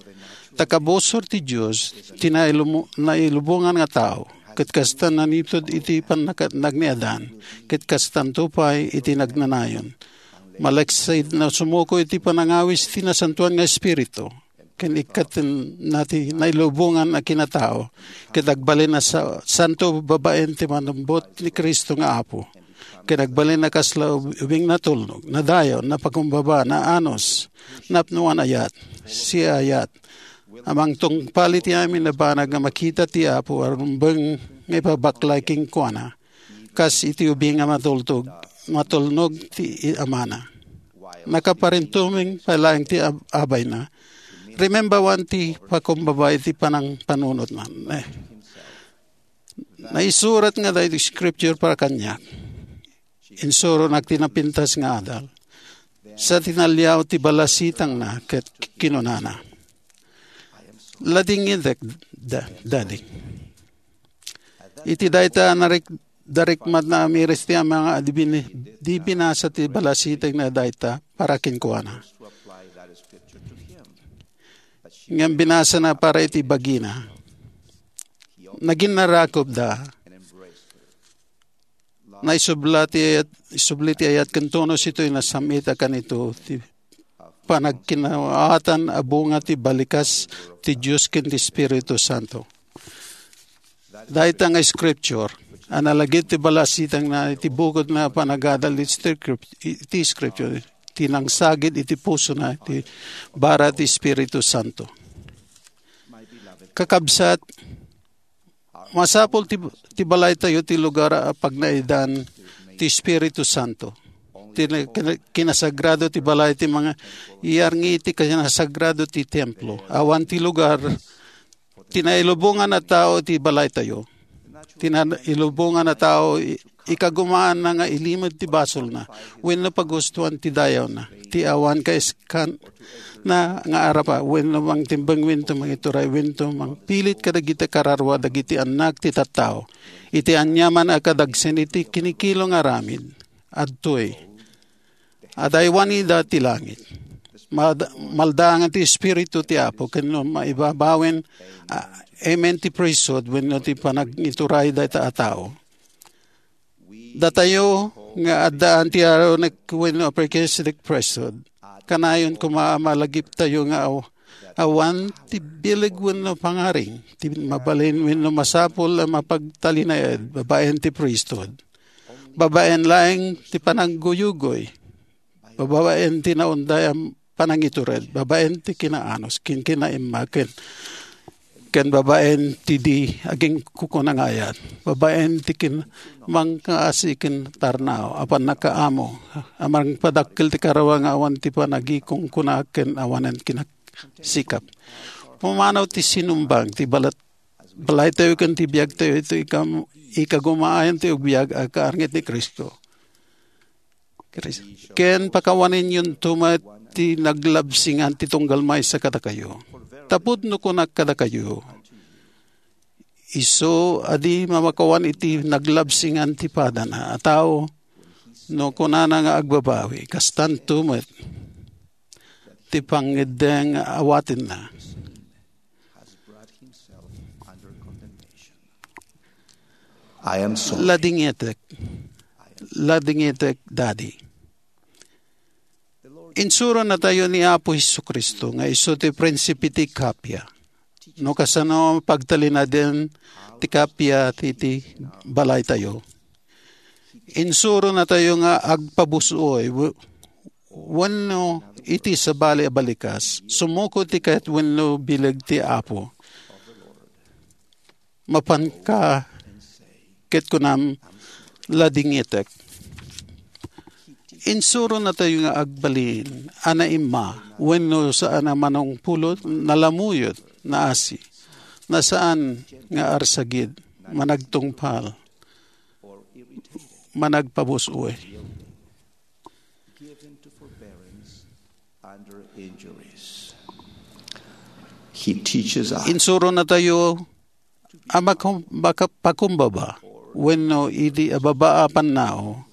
Ta kabusor ti Dios, ti nailumo-, nailubongan nga tao, ket kasta nanitud iti pannakatnag ni Adan, ket kastanto pay iti nagnanayon. Malaksid na sumuko iti panangawis ti Nasantoan nga Espiritu. Ken ikkatenna ti nailubongan a kinatao, ket agbalin a sa-, santo babaen ti manumbot ni Cristo nga Apo. Ken agbalin a kasla ub-, ubing natulnog, nadayaw, napakumbaba, naanus, napnoan ayat, siayat, A mangtungpal iti amin a banag nga makita ti Apo a rumbeng nga ipabaklay kenkuana, kas iti ubing a matultog, matulnog ti amana. Nakaparintumeng pay laeng ti ab-, abayna. Remember, awan ti pakumbaba iti panangpanunotna. Eh, naisurat nga daytoy scripture para kaniak. Insuronak ti napintas nga adal. Sa tinaliaw ti balasitangna ket kinunana, "Ladingitek, da-, Daddy." Iti dayta, narik-, darikmat na amiris ti ama nga di bin-, di binasa ti balasitangna dayta para kenkuana. Ngem binasana para iti bagina. Naginnarakopda. Naisubla ti ayat, isubli ti ayat ken tunos itoy nasam-it a kanito ti panagkinaawatan a bunga ti balikas ti Dios ken ti Espiritu Santo. Dayta nga scripture a nalagip ti balasitangna iti bukod nga panagadal iti script-, iti scripture ti nangsagid iti pusona ti bara ti Espiritu Santo. Kakabsat, masapul ti, ti balaytayo ti lugar a pagnaedan ti Espiritu Santo. Ti na-, kina-, kinasagrado ti balay ti mga iyarngi ti kinasagrado ti templo. Awan ti lugar ti nailubongan a tao ti balaytayo. Ti nailubongan a tao i-, ikagumaanna nga ilimed ti basolna wenno pagustuan ti dayawna. Ti awan kaiskan na nga arapa wenno mangtimbeng wenno mangituray wenno mangpilit kadagiti kararua dagiti annak ti tattao. Iti aniaman a kadagsen iti kinikilo nga aramid, adtoy, adaywan ida ti langit. Mad-, maldaangan ti Espiritu ti Apo, ken no maibabawen, a-, amen ti priesthood wenno ti panagituray dayta a tao. Datayo nga addaan ti Aaronic wenno a Melchizedek priesthood, kanayon koma a malagiptayo nga aw-, awan ti bileg wenno pangaring ti mabalin wenno masapul a mapagtalinaed babaen ti priesthood. Babaen laeng ti panangguyugoy, babaen ti naunday a panangitured, babaen ti kinaanus ken kinaimma ken, ken babaen ti di agingkukunangayat, babaen ti kin-, mangkaasi ken tarnaaw a pannakaammo a mangpadakkel ti kararua nga awan ti panagikungkuna ken awanen kinasikap. Pumanaw ti sinumbang ti balat-, balaytayo ken ti biagtayo iti ikam-, ikagumaayan ti agbiag a kaarnget ni Cristo. Ken pakawanenyonto met ti naglabsingan ti tunggal maysa kadakayo. Tapud no kunak kadakayo, isu a di mamakawan iti naglabsingan ti padana a tao, no kunana nga agbabawi, kastanto met ti pangngeddeng nga awatenna. I am sorry. Ladingitek. Ladingitek, Daddy. Insuronatayo ni Apo Jesu-Cristo nga isu ti prinsipe ti kappia. No kasano pagtalinaden ti kappia ti, ti balaytayo. Insuronatayo nga agpabus-oy, we-, wenno iti sabali a balikas, sumuko ti kayat wenno bileg ti Apo. Mapanka ket kunam, "Ladingitek." Insuronatayo nga agbalin a naimma wenno saan a manungpulot, nalamuyot, naasi, nasaan nga arsagid, managtungpal, managpabus-oy. Given to forbearance under injuries. He teaches us. Insuronatayo a makum-, maka-, pakumbaba wenno idi a babaa a pannao,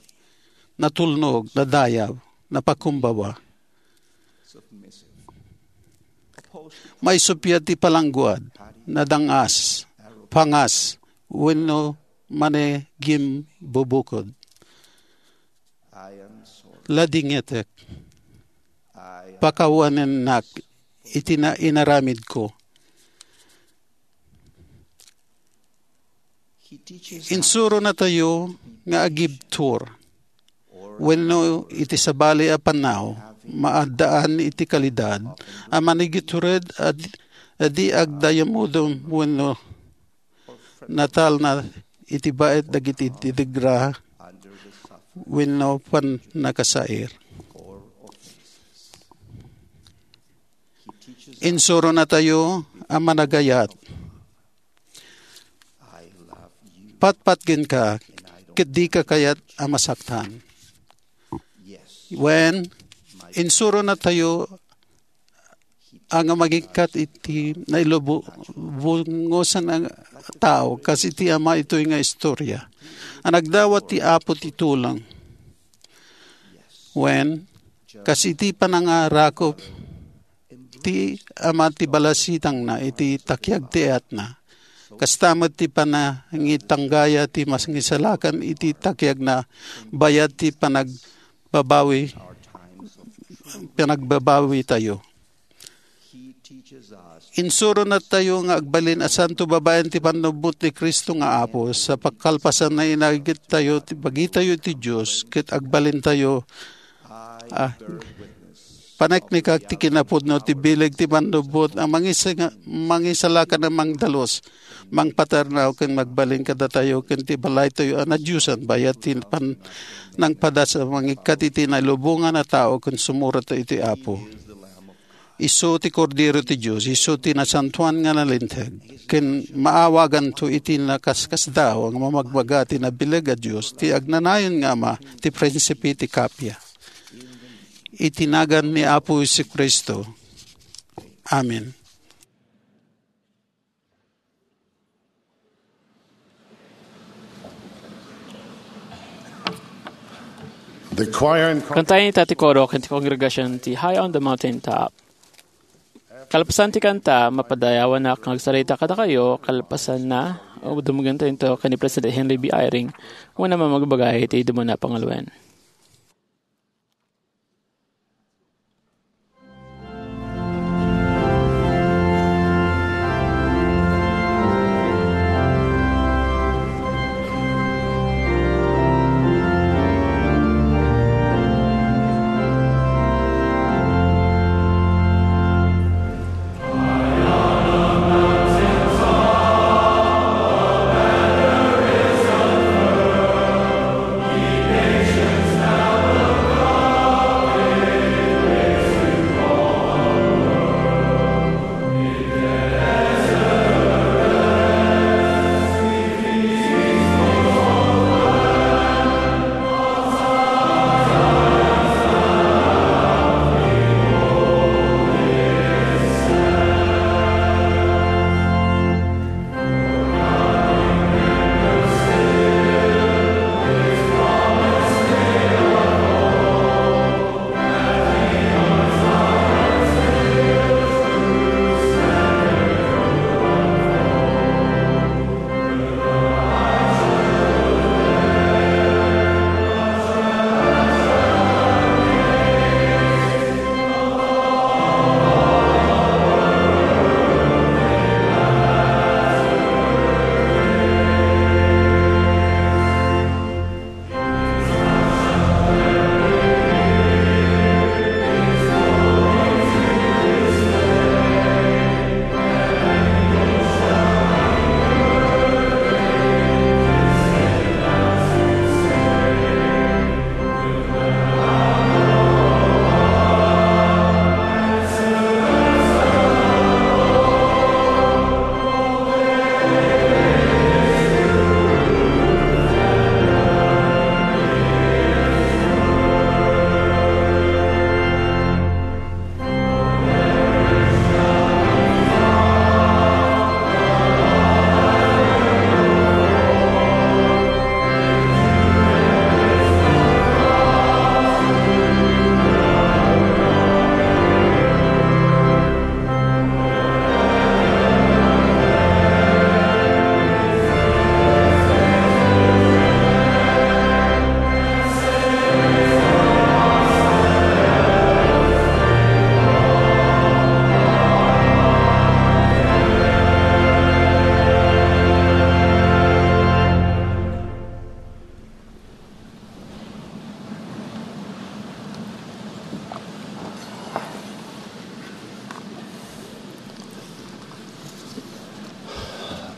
natulnog, nadayab, napakumbaba. Maisuppiat ti palangguad, nadangas, pangas, wenno manigimbubukod. Ladingitek, pakawanennak iti na-, inaramidko. Insuronatayo nga agibtur wenno iti sabali a pannao, maaddaan iti kalidad a manigitured a di-, a di agdayamudom wenno natalna iti baet dagiti didigra wenno pannakasair. Insuronatayo a managayat. Patpatgenka ket dika kayat a masaktan. Wen, insuronatayo a nga mangikkat iti nailubongosan a tao, kas iti ama itoy nga istorya. A nagdawat ti Apo ti tulong. Wen, kas iti panangarakop ti ama ti balasitangna iti takiag ti ayatna. Kasta met ti panangitanggaya ti mangisalakan iti takiagna bayat ti panagbabawi, panagbabawitayo. Insuronatayo nga agbalin a santo babaen ti pannubbot ni Cristo nga Apo, sa pakalpasanna inagittayo ti bagitayo ti Dios, ket agbalintayo a paneknekak ti kinapudno ti bileg ti pannubbot a mangis-, mangisalakan a mangdalus, mangpatarnaw ken magbalin kadatayo ken ti balaytayo a nadiosan bayat ti pan-, nangpadas a mangikkat iti nailubongan a tao ken sumurot iti Apo. Isu ti Kordero ti Dios, isu ti nasantoan nga nalinteg, ken maawaganto iti nakaskasdaaw nga mamagbaga ti nabileg a Dios, ti agnanayon nga Ama, ti Prinsipe ti Kapia. Iti nagan ni Apo Jesu-Cristo. Amen. The choir and Kantaen ita ti koro ken ti kongregasion ti High on the Mountain Top. Kalpasan ti kanta, mapadayawanak nga agsarita kadakayo, kalpasanna, dumngegtayo ken ni President Henry B. Eyring, wenno mamagbaga iti dumngeg a panguloen.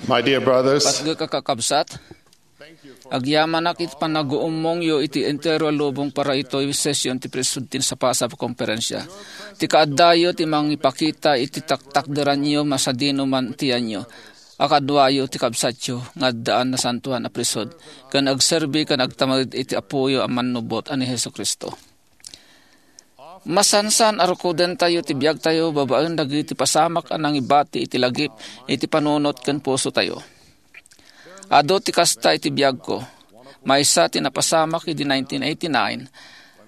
My dear brothers, Patgek a kakabsat, agyamanak iti panaguummongyo iti entero a lubong para itoy session ti Priesthood ti Sapasap a Konferensya. Ti kaaddayo ti mangipakita iti taktakderanyo masadino man ti yanyo a kaduayo ti kabsatyo nga addaan nasantoan a priesthood ken agserbi ken agtamaged iti Apoyo a mannubot a ni Jesu-Cristo. Masansan a rukodentayo ti biagtayo babaen dagiti pasamak a nangibati iti lagip iti panunot ken pusotayo. Adu ti kasta iti biagko. Maysa ti napasamak idi nineteen eighty-nine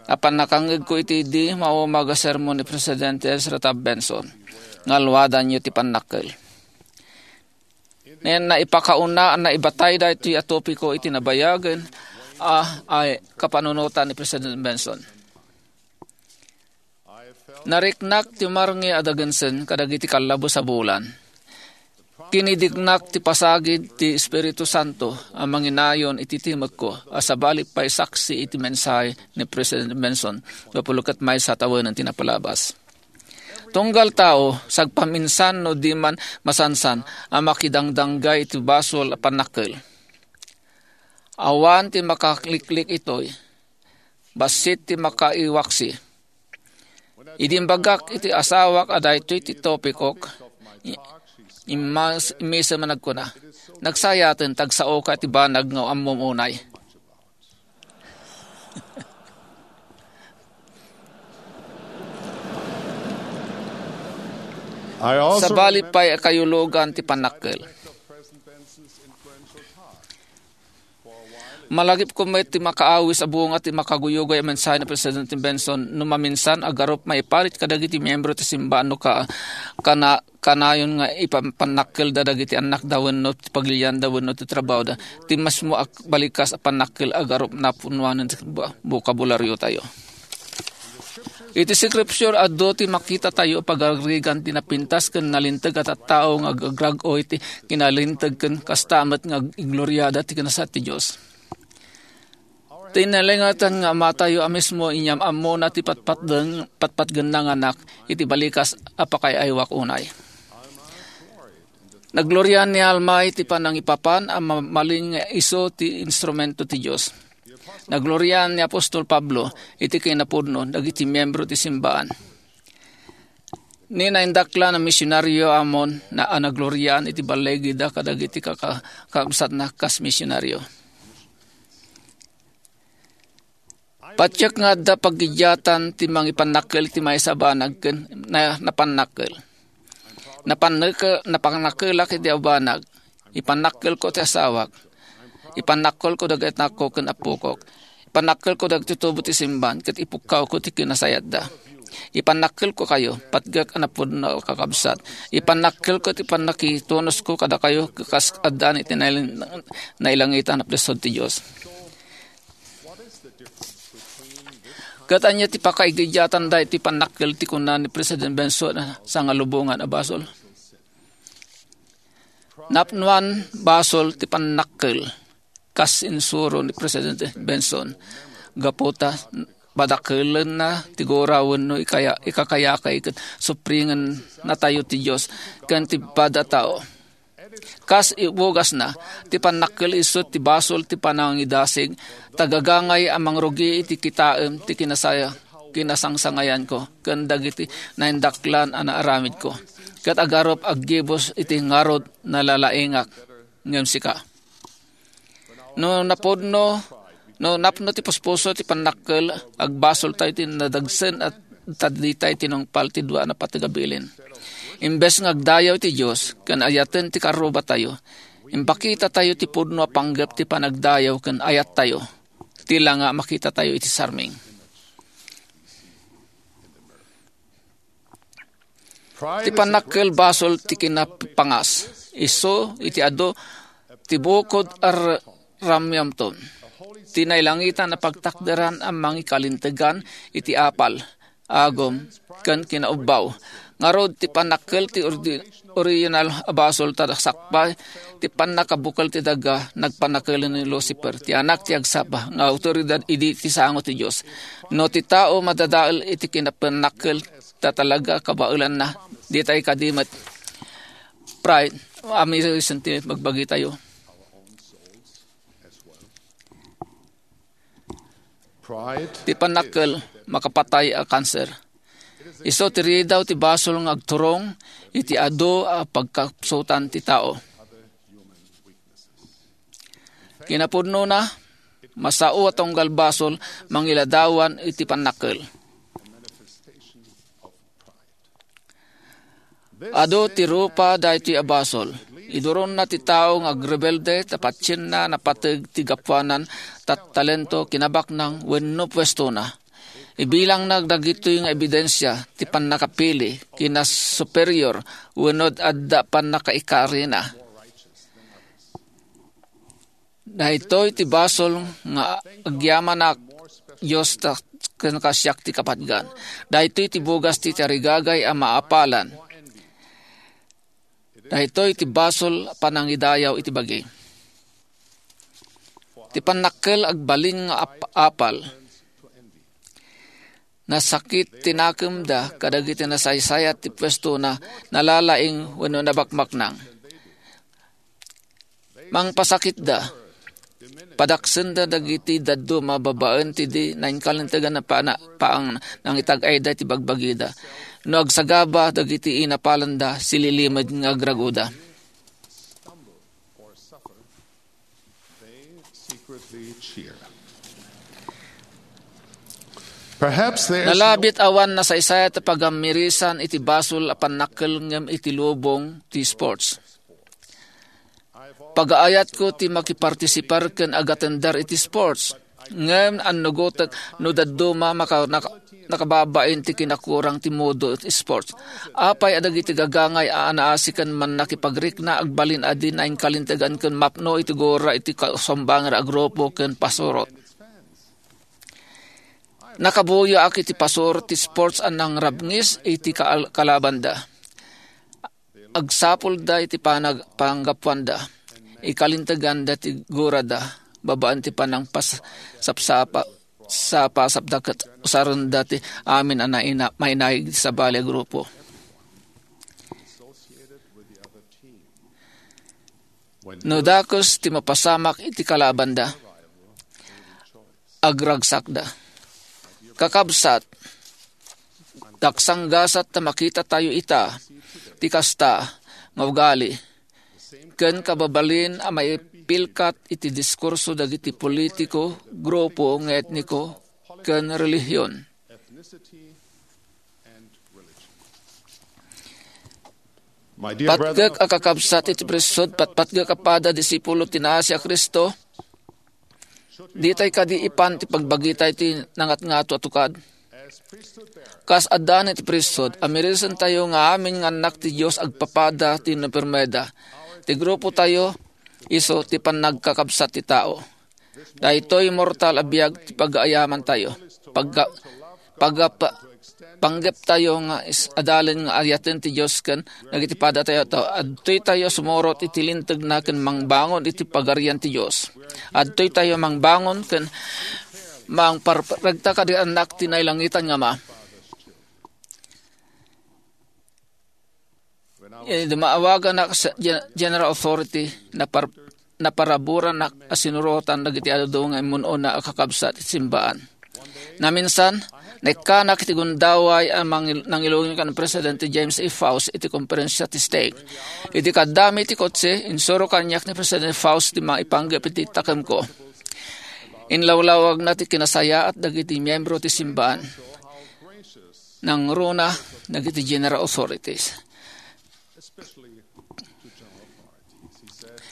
a pannakangngegko iti idi maumag a sermon ni Presidente Ezra Taft Benson nga Aluadanyo ti Pannakkel. Nen naipakauna a naibatay daytoy a topiko iti nabayagen a, a kapanunotan ni President Benson. Nariknak ti marngis a dagensen kadagiti kallabes a bulan. Kinidiknak ti pasagid ti Espiritu Santo a manginayon iti timekko a sabali pay saksi iti mensahe ni President Benson, gapu ket maysa tawen ti napalabas. Tunggal tao, sagpaminsan no di man masansan a makidangdanggay iti basol a pannakkel. Awan ti makakliklik itoy. Bassit ti makaiwaksi. Idi imbagak iti asawak a daytoy ti topikok, i-, immas-, immisem a nagkuna, "Nagsayaten, tagsaoka ti banag nga ammom unay." I also Sabali pay a kayulugan ti pannakkel. Malagipko met ti makaawis a bunga ti makaguyugoy a mensahe ni Presidente Benson no maminsan a garup maiparit kadagiti miyembro ti simbaan no ka-, kana-, kanayon nga ipapannakkelda dagiti annakda wenno ti pagilianda wenno ti trabaoda. Ti mismo a balikas a pannakkel a garup napunoan ti ba-, bokabulariotayo. Iti Scripture, adu ti makitatayo a pagaragrigan ti napintas ken nalinteg a tattao nga agagrag-oy ti kinalinteg ken kasta met nga igloriada ti kinasayaat ti Dios. Ti nailangitana nga Amatayo a mismo inyam-ammona ti patpatdeng-, patpatgenna nga Anak iti balikas a pakaay-aywak unay. Nagloriaan ni Alma iti panangipapan a mabalin nga isu ti instrumento ti Dios. Nagloriaan ni apostol Pablo iti kinapudno dagiti miyembro ti simbaan. Ni naindaklan a misionario Amon na a nagloriaan iti balligida kadagiti kaka-, kakabsatna kas misionario. Patiek nga adda paggidiatan ti mangipannakkel ti maysa a banag ken na-, napannakkel. Napanneke-, napannakkelak iti a banag. Ipannakkelko ti asawak. Ipannakkelko dagiti anakko ken appokok. Ipannakkelko dagiti tubo ti simbaan ket ipukkawko ti kinasayatda. Ipannakkelkokayo, patgek a napudno a kakabsat. Ipannakkelko ti pannakitunosko kadakayo kas addaan iti nail-, nailangitan a priesthood ti Dios. Ket ania ti pakaigidiatan daytoy pannakkel ti kuna ni President Benson a sangalubongan a basol? Napnoan basol ti pannakkel kas insuro ni President Benson. Gapu ta padakelenna ti gura wenno ikaya-, ikakayakay ket suprengennatayo ti Dios ken ti pada a tao. Kas ibugasna, ti pannakkel isu ti basol ti panangidasig, tagagangay a mangrugi iti kitaem ti kinasaya-, kinasangsangayanko, ken dagiti naindaklan a naaramidko. Ket agarup aggibus iti ngarud nalalaingak ngem sika. No napudno, no napno ti puspuso ti pannakkel, agbasoltayo ti nadagsen a ta ditay tinungpal ti dua a napateg a bilin. Imbes nga agdayaw ti Dios ken ayaten ti karrubatayo, impakitatayo ti pudno a panggep ti panagdayaw ken ayattayo. Ti la nga makitatayo iti sarming. Ti pannakkel basol ti kinapangas. Isu iti adu ti bukod a r-, ramyamton. Ti nailangitan a pagtakderan a mangikalintegan iti apal, agum, ken kinaubbaw. Ngarud, ti pannakkel ti ordi-, original a basol ta sakbay ti pannakabukel ti daga, nagpannakelen ni Lucifer, ti anak ti agsapa nga awtoridad idi ti sango ti Dios. No ti tao madadael iti kinapannakkel, ta talaga kabaelanna, ditay kadi met pride, Amin, senti magbagi tayo. Ti pannakkel makapatay a kanser. Isu ti ridaw ti basol nga agturong iti adu a pagkapsutan ti tao. Kinapudnona, masao a tunggal basol mangiladawan iti pannakkel. Adu ti rupa daytoy a basol. Iduronna ti tao nga agrebelde ta patienna napateg ti gapuanan ta talento, kinabaknang wenno puestona. Ibilangna dagitoy nga ebidensia ti pannakapili, kinasuperior, wenno adda pannakaikarina. Daytoy ti basol nga agyamanak, Dios, ta ken kasiak ti kapatgan. Daytoy ti bugas ti tarigagay a maapalan. Daytoy ti basol a panangidayaw iti bagi. Ti pannakkel agbalin nga ap-, apal. Nasakit ti nakemda kadagiti nasaysayat ti puestona, nalalaing wenno nabakbaknang. Mangpasakitda. Padaksenda dagiti dadduma babaen ti di nainkalintegan a pana-, paang nangitag-ayda ti bagbagida. No agsagaba dagiti inapalanda, sililimed nga agragoda. Perhaps there's no Nalabit awan nasaysayat a pagammirisan iti basol a pannakkel ngem iti lubong ti sports. Pagaayatko ti makipartisipar ken agatender iti sports. Ngem annugotek no dadduma maka-, naka-, nakababain ti kinakurang ti modo iti sports. Apay a dagiti gagangay a anaasi ken mannakipagrikna agbalin a di nainkalintegan ken mapno iti gura iti kasumbangan a grupo ken pasurot. Nakabuyaak iti pasurot ti sports a nangrabngis iti kaal-, kalabanda. Agsapulda iti panag-, panggapuanda. Ikalinteganda ti gurada babaen ti panangpas-, sapsapa-, sapasapda ket usarenda ti amin a naina-, mainaig ti sabali a grupo. No dakes ti mapasamak iti kalabanda, agragsakda. Kakabsat, daksanggasat ta makitatayo ita ti kasta nga ugali ken kababalin a maipilkat iti diskurso dagiti politiko, grupo nga etniko, ken relihion. My dear brethren, Patgek a kakabsat iti priesthood, patpatgek a pada disipulo ti naasi a Cristo, ditay kadi ipan ti pagbagitay ti nangatngato a tukad? Kas addan iti priesthood, amirisentayo nga amin nga annak ti Dios agpapada ti napirmeda. Ti grupotayo, isu ti pannagkakabsat ti tao. Daytoy mortal a biag ti pagaayamantayo. Pagga-, pagga-, pa-, panggeptayo nga is-, adalen nga ayaten ti Dios ken dagiti padatayo. Adtoytayo sumurot iti lintegna ken mangbangon iti pagarian ti Dios. Adtoytayo mangbangon ken mangparregta kadi annak ti nailangitan nga Ama. Idi maawaganak sa Gen-, General Authority, napar-, naparaburanak a sinurotan dagiti adu nga immun-una a kakabsat iti simbaan. Naminsan, naikkanak iti gundaway a mangil-, nangiluging ken Presidente James A. Faust iti konferensia ti stake. Idi kaddami iti kotse, insuro kaniak ni Presidente Faust ti maipanggep iti takemko. Inlawlawagna ti kinasayaat dagiti miyembro ti simbaan. Nangruna dagiti general authorities.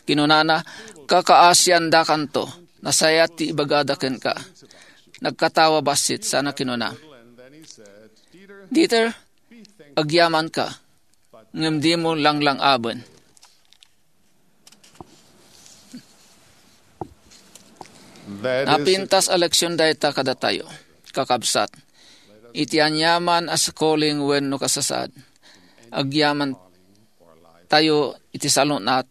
Kinunana, "Kakaasiandakanto. Nasayaat ti ibagada kenka." Nagkatawa bassit sana kinuna, "Dieter, agyamanka, ngem dimo langlang-aben." That is Napintas a leksion dayta kadatayo, kakabsat. Iti aniaman a calling wenno kasasaad, agyaman tayo iti salun-at,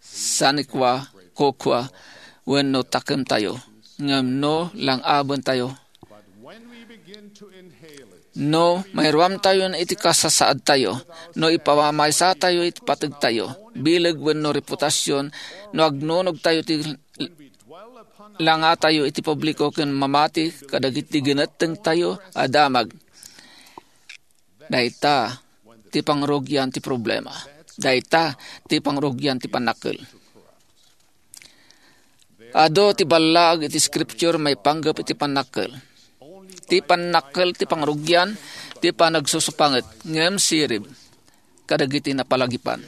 sanikua, kukua, wenno takemtayo, ngem no lang-aben tayo, No mairuamtayon iti kasasaadtayo, no ipamaysatayo iti pategtayo, bileg wenno reputasion, no agnunogtayo ti langatayo iti publiko ken mamati kadagiti ginettengtayo a damag. Dayta ti pangrugian ti problema. Dayta ti pangrugian ti pannakkel. Adu ti ballaag iti Scripture maipanggep iti pannakkel. Ti pannakkel ti pangrugian, ti panagsusupanget, ngem sirib kadagiti napalagipan.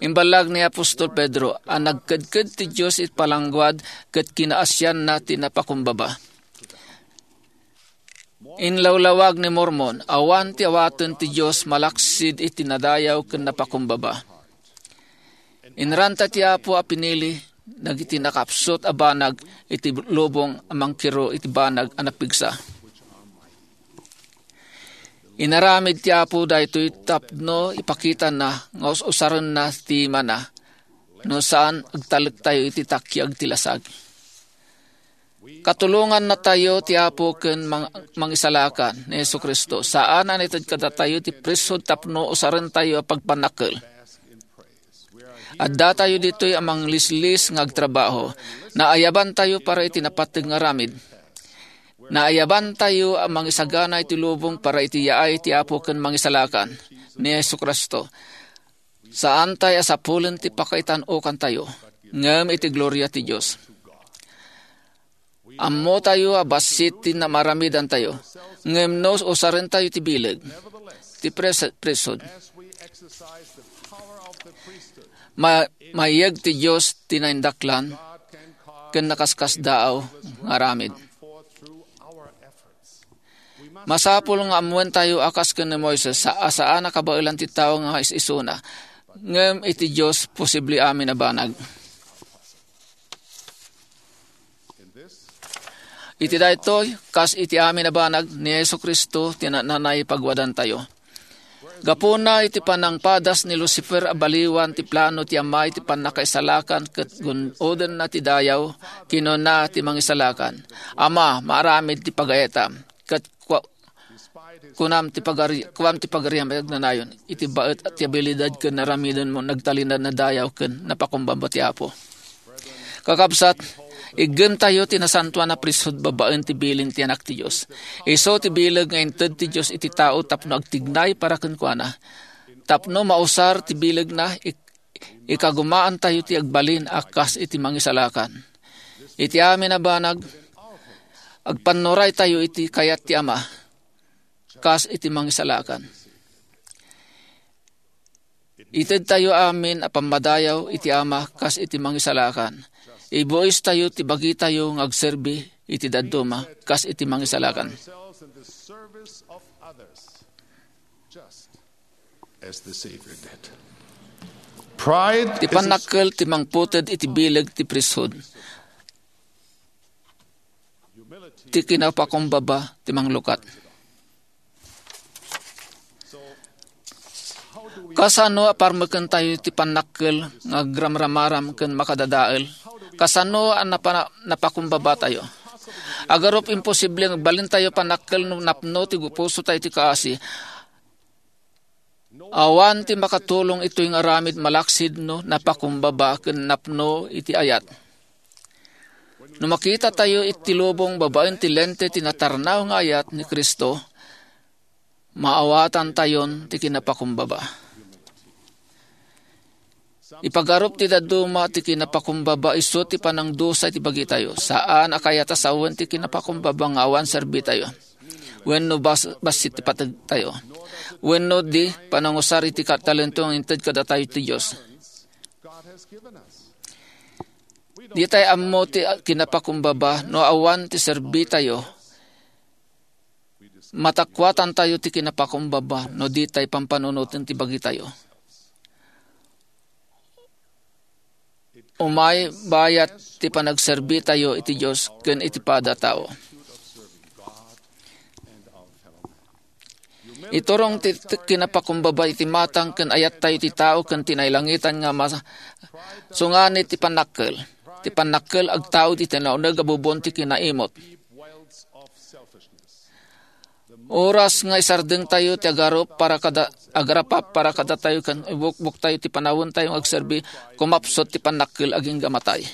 Imballag ni apostol Pedro a nagkedked ti Dios iti palangguad ket kinaasianna ti napakumbaba. Inlawlawag ni Mormon, awan ti awaten ti Dios malaksid iti nadayaw ken napakumbaba. Inaranta ti Apo a pinili dagiti nakapsut a banag iti lubong a mangkiro iti banag a napigsa. Inaramid ti Apo daytoy tapno ipakitana nga us-usarenna ti imana, no saan, agtalektayo iti takiag ti lasag. Katulongannatayo ti Apo ken mang-, Mangisalakan ni Jesu-Cristo. Saan a naited kadatayo ti priesthood tapno usarentayo a pagpannakkel. Addatayo ditoy a manglislis nga agtrabaho. Naayabantayo para iti napateg nga aramid. Naayabantayo a mangisagana iti lubong para iti yaay ti Apo ken Mangisalakan ni Jesu-Cristo. Saantay a sapulen ti pakaitan-okantayo, ngem iti gloria ti Dios. Ammotayo a bassit ti namaramidantayo, ngem no usarentayo ti bileg ti pres-, priesthood, ma-, mayeg ti Dios ti naindaklan ken nakaskasdaaw nga aramid. Masapul nga ammoentayo a kas ken ni Moises, sa-, a saan a kabaelan ti tao nga is-isuna, ngem iti Dios posible amin a banag. Iti daytoy, kas iti amin a banag, ni Jesu-Cristo ti nananay pagwadantayo. Gapuna iti panangpadas ni Lucifer a baliwan ti plano ti Ama iti pannakaisalakan ket gun-odenna ti dayaw, kinuna ti Mangisalakan, "Ama, maaramid ti pagayetam, ket kua-, kunam ti pagari-, kuam ti pagariam iti agnanayon, iti baet ti abilidad ken naramidenmo, nagtalinaed a dayaw ken napakumbaba ti Apo." Kakabsat, iggemtayo ti nasantoan a priesthood babaen ti bilin ti Anak ti Dios. Isu ti bileg nga inted ti Dios iti tao tapno agtignay para kenkuana. Tapno mausar ti bilegna, ik-, ikagumaantayo ti agbalin a kas iti Mangisalakan. Iti amin a banag, agpannuraytayo iti kayat ti Ama, kas iti Mangisalakan. Itedtayo amin a pammadayaw iti Ama kas iti Mangisalakan. Ibuistayo ti bagitayo nga agserbi iti dadduma kas iti Mangisalakan. As the Savior did. Pride Ti is pannakkel ti mangputed iti bileg ti priesthood. Ti kinapakumbaba ti manglukat. Kasano a parmekentayo ti pannakkel nga agramramaram ken makadadael? Kasano a napa-, napakumbabatayo? Agarup, imposible nga agbalintayo pannakkel no napno ti pusotayo ti kaasi. Awan ti makatulong itoy nga aramid malaksid no napakumbaba ken napno iti ayat. No makitatayo iti lubong babaen ti lente ti natarnaw nga ayat ni Cristo, maawatantayon ti kinapakumbaba. Ipagarup ti dadduma ti kinapakumbaba isu ti panangdusa iti bagitayo. Saan a kayat a sawen ti kinapakumbaba nga awan serbitayo wenno bas-, bassit ti pategtayo wenno di panangusar iti ka-, talento nga inted kadatayo ti Dios. Ditay ammo ti kinapakumbaba no awan ti serbitayo. Matakuatantayo ti kinapakumbaba no ditay pampanunoten ti bagitayo. Umay bayat ti panagserbitayo iti Dios ken iti pada a tao. Iturong ti, ti kinapakumbaba iti matang ken ayattayo ti tao ken ti nailangitan nga mas-, sunganit ti pannakkel. Ti pannakkel agtaud iti nauneg a bubon ti kinaimot. Oras nga isardengtayo ti agarup para kada, agarapap para kadatayo ken ibukboktayo ti panawentayo nga agserbi, kumapsut ti pannakkel agingga matay.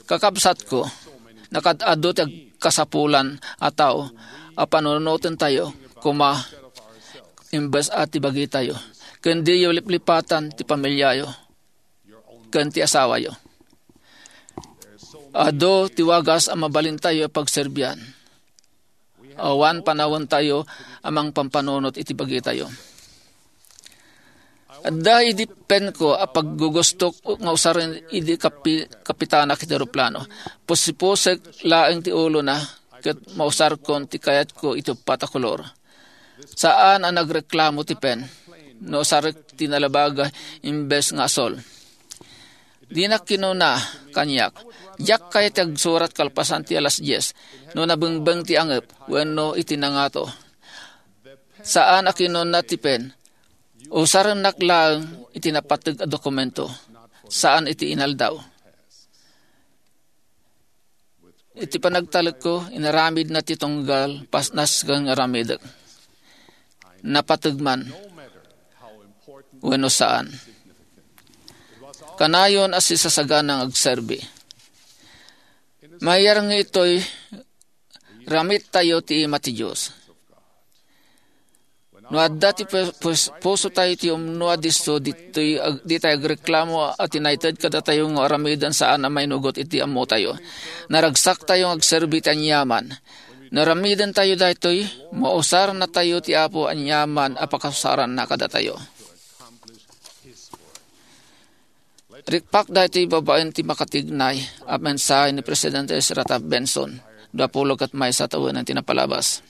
Kakabsatko, nakaad-adu ti agkasapulan a tao a panunotentayo koma imbes a ti bagitayo, ken diyo liplipatan ti pamiliayo ken ti asawayo. Adu ti wagas a mabalintayo a pagserbian. Awan panawentayo a mangpampanunot iti bagitayo. Adda idi penko a paggugustok nga usaren idi kapi-, kapitanak iti eroplano. Pusipusek laeng ti ulona ket mausarkon ti kayatko iti uppat a kolor. Saan a nagreklamo ti pen no usarek ti nalabag imbes nga asol. Dinak kinuna kaniak, "Diak kayat ti agsurat kalpasan ti alas dies no nabengbeng ti angep wenno iti nangato." Saan a kinuna ti pen, "Usarennak laeng iti napateg a dokumento, saan iti inaldaw." Iti panagtalekko, inaramidna ti tunggal, pasnas ken aramidek. Napateg man wenno saan. Kanayon a sisasagana nga agserbi. Mayar nga itoy, ramittayo ti ima ti Dios. No adda ti pus-, pus-, pusotayo ti umno a disso, ditoy ag-, ditay agreklamo a tinayted kadatayo nga aramiden saan a mainugot iti ammotayo. Naragsaktayo nga agserbi ti aniaman. No aramidentayo daytoy, mausarnatayo ti Apo aniaman a pakausaranna kadatayo. Rikpak daytoy babaen ti makatignay a mensahe ni Presidente Ezra Taft Benson, dua pulo ket maysa tawenan ti napalabas.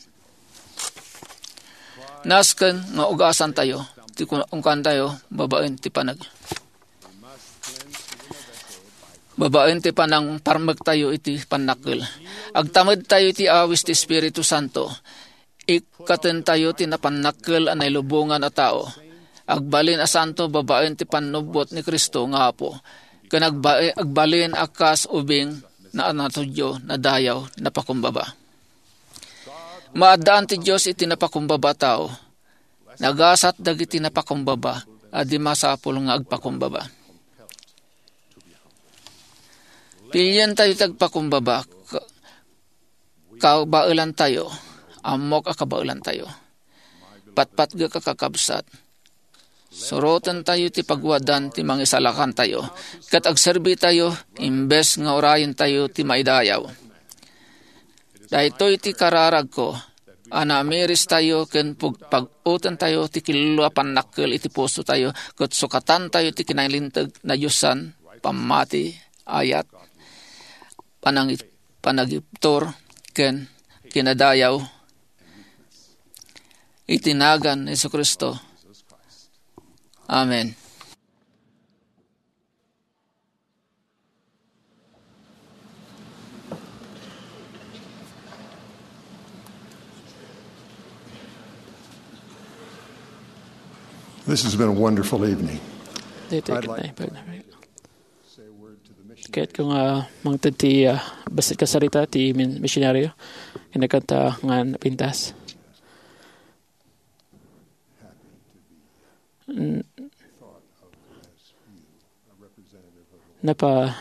Nasken nga ugasantayo ti kun-, kunkuantayo babaen ti panag-, babaen ti panangparmektayo iti pannakkel. Agtamedtayo iti awis ti Espiritu Santo. Ikkatentayo ti napannakkel a nailubongan a tao. Agbalin a santo babaen ti pannubbot ni Cristo nga Apo. Ken agba-, agbalin a kas ubing na natudyo, nadayaw, napakumbaba. Maaddaan ti Dios iti napakumbaba a tao. Nagasat dagiti napakumbaba a di masapul nga agpakumbaba. Pilientayo ti agpakumbaba. Ka-, kabaelantayo. Ammok a kabaelantayo. Patpatgek a kakabsat. Surotentayo ti pagwadan ti mangisalakantayo, ket agserbitayo imbes nga urayentayo ti maidayaw. Daytoy ti kararagko, a namiristayo ken pug-, pag-utentayo ti killo a pannakkel iti pusotayo, ket sukatantayo ti kinailinteg a diosan, pammati, ayat, panangi-, panagibtur, ken kinadayaw. Iti nagan ni Jesu-Cristo. Amen. This has been a wonderful evening. Daytoy ket naipag-, kayatko nga mangted ti, ah, bassit kasarita ti min-, misionaryo. Kinakanta nga napintas. N-, napa-,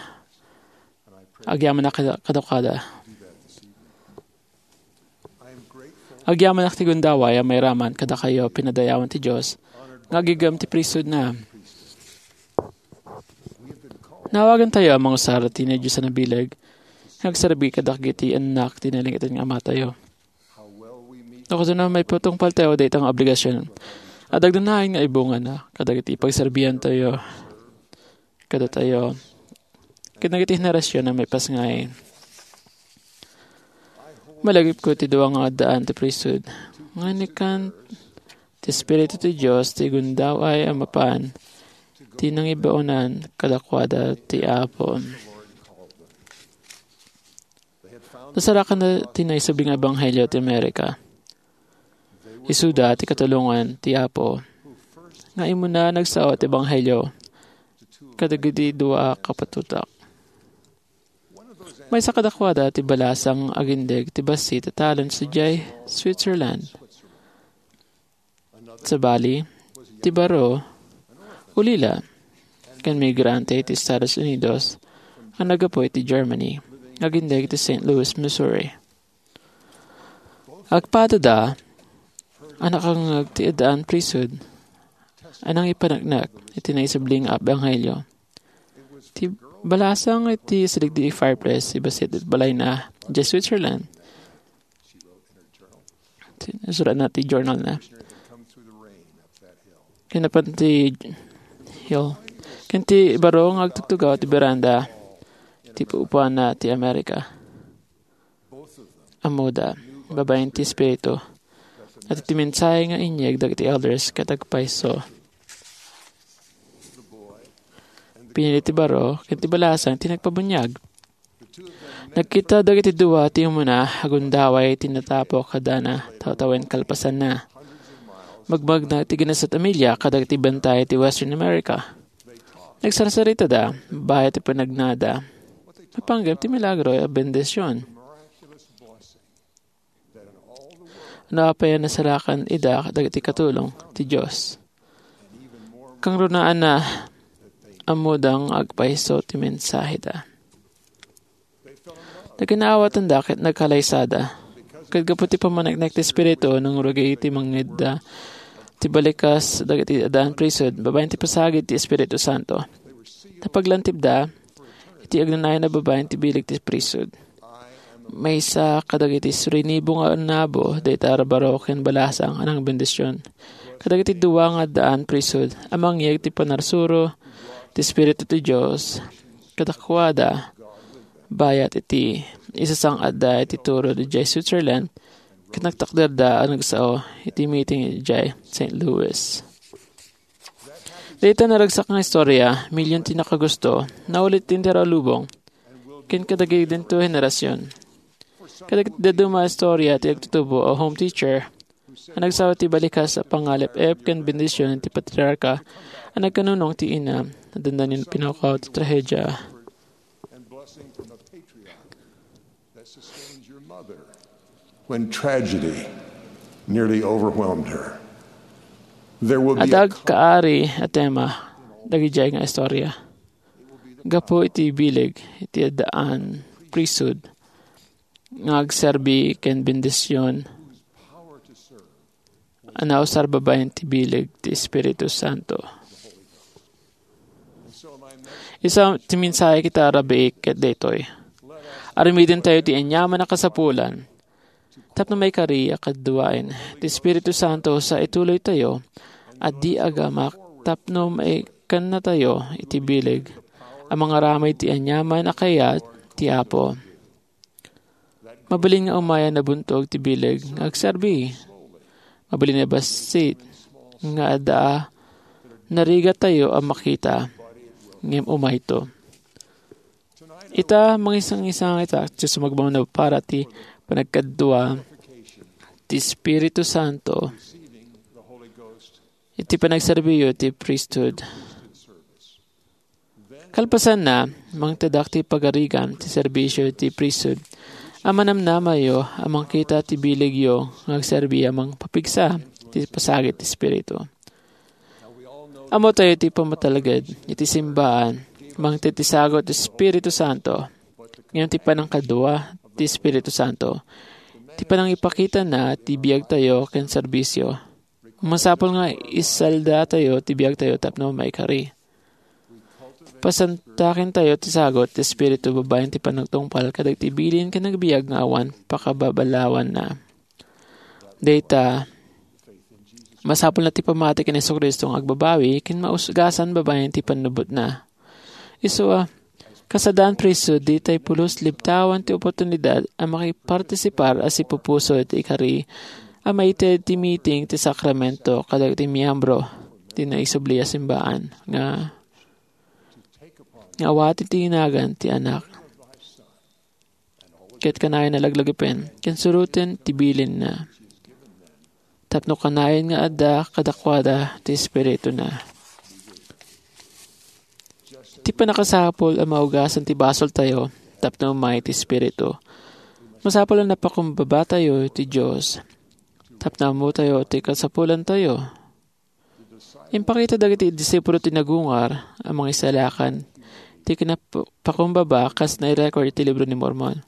agyamanak kada-, kadakuada. Agyamanak ti gundaway a mairaman kadakayo pinadayawan ti Dios nga agigem ti priesthood na. Nawagantayo a mangusar ti nadiosan a bileg nga agserbi kadagiti annak ti nalingted nga Amatayo. No kasano maipatungpaltayo dayta nga obligasion? Adda agdanaen nga ibungana kadagiti pagserbiantayo kadatayo ken dagiti henerasion a maipasngay. Malagipko ti dua nga addaan ti priesthood nga inkan ti Espiritu ti Dios ti gundaway a mapan ti nangibaonan kadakuada ti Apo. Nasarakanna ti naisubli nga ebanghelio ti Amerika. Isuda ti katulongan ti Apo nga immuna a nagsao ti ebanghelio kadagiti dua a kapatutak. Maysa kadakuada ti balasang agindeg ti bassit a talents idiay Switzerland. Sabali, ti baro, ulila, ken migrante iti Estados Unidos a naggapu iti Germany, agindeg iti Saint Louis, Missouri. Agpadada a nakangngeg ti addaan priesthood a nangipaneknek iti naisubli nga ebanghelio. Ti balasang iti sidegdeg fireplace, ibasit iti balayna, idiay Switzerland. Ti, isuratna ti journalna. Kinapan ti hill. Ken ti baro nga agtugtugaw ti beranda ti pupuana ti Amerika. Ammoda, babaen ti Espiritu, a ti mensahe nga inyeg dagiti elders ket agpayso. Pinili ti baro ken ti balasang ti nagpabuniag. Nagkita dagiti dua ti umuna a gundaway ti natapok kadana tawtawen kalpasanna. Magmagna ti ginasat a milya kadagiti bantay ti Western America. Nagsarsaritada, bayat ti panagnada. Napanggep ti milagro a bendision. No apay a nasarakan ida dagiti katulong ti Dios. Kangrunaanna, ammoda nga agpayso ti mensaheda. Nagkinaawatanda ket nagkalaysada. Ket gapu ti pammaneknek ti Espiritu, nangrugit ti mangngegda ti balikas dagiti addaan priesthood babaen ti pasagid ti Espiritu Santo. Napaglantipda iti agnanayon a babaen ti bileg ti priesthood. Maysa kadagiti surinibo nga nabo dayta a baro ken balasang a nangbendision kadagiti dua nga addaan priesthood a mangyeg ti panarsuro ti Espiritu ti Dios kadakuada bayat iti isasang-atda iti turo idiay Switzerland ket nagtakderda a nagsao iti meeting idiay Saint Louis. Dayta naragsak nga istorya, milyon ti nakagusto, naulit ti inter a lubong, ken kadagidinto a henerasion. Kadagiti dadduma a istorya ti agtutubo a home teacher a nagsao ti balikas a pangalep-ep ken bendision ti patriarka a nagkanunong ti ina a dandanin pinakaw ti trahedia. When tragedy nearly overwhelmed her. There will be a Adda agkaari a tema dagidiay nga istorya. Gapu iti bileg iti addaan priesthood nga agserbi ken bendision a nausar babaen ti bileg ti Espiritu Santo. Isu ti mensahe kita a rabii ket daytoy. Aramiden tayo ti aniaman a kasapulan tapno maikari a kaduaen ti Espiritu Santo sa ituloy tayo a di agamak tapno maikannatayo iti bileg a mangaramid ti aniaman a kayat ti Apo. Mabalin nga umay a nabuntog ti bileg nga agserbi. Mabalin a bassit nga adda a narigatayo a makita, ngem umayto. Ita, mangisang-isang ita, Dios, sumagmamano para ti panagkadua ti Espiritu Santo iti panagserbiyo ti priesthood. Kalpasanna, mangtedak ti pagarigan ti serbisio ti priesthood a manamnamayo a mangkita ti bilegyo nga agserbi a mangpapigsa ti pasagit ti Espiritu. Ammo tayo ti pamatalged iti simbaan, mangted ti sagut ti Espiritu Santo. Ngem ti panangkadua ti Espiritu Santo, ti panangipakitana ti biagtayo ken serbisio. Masapul nga isaldatayo ti biagtayo tapno maikari. Pasantakintayo ti sagut ti Espiritu babaen ti panagtungpal kadagiti bilin ken agbiag nga awan pakababalawanna. Dayta, masapulna ti pammati ken Jesu-Cristo nga agbabawi ken maugasan babaen ti pannubbotna. Isu a, kas addaan priesthood, ditay pulos libtawan ti oportunidad a makipartisipar a sipupuso iti ikari a maited ti meeting ti sakramento kadagiti miyembro ti naisubli a simbaan nga, nga awaten ti nagan ti Anak. Ket kanayon a laglagipen ken suroten ti bilinna. Tapno kanayon nga adda kadakuada ti Espirituna. Ti pannakasapul a maugasan ti basoltayo, tapno umay ti Espiritu. Masapul a napakumbabatayo ti Dios tapno ammotayo ti kasapulantayo. Impakita dagiti disipulo ti nagungar a mangisalakan ti kinapakumbaba kas nairecord iti Libro ni Mormon.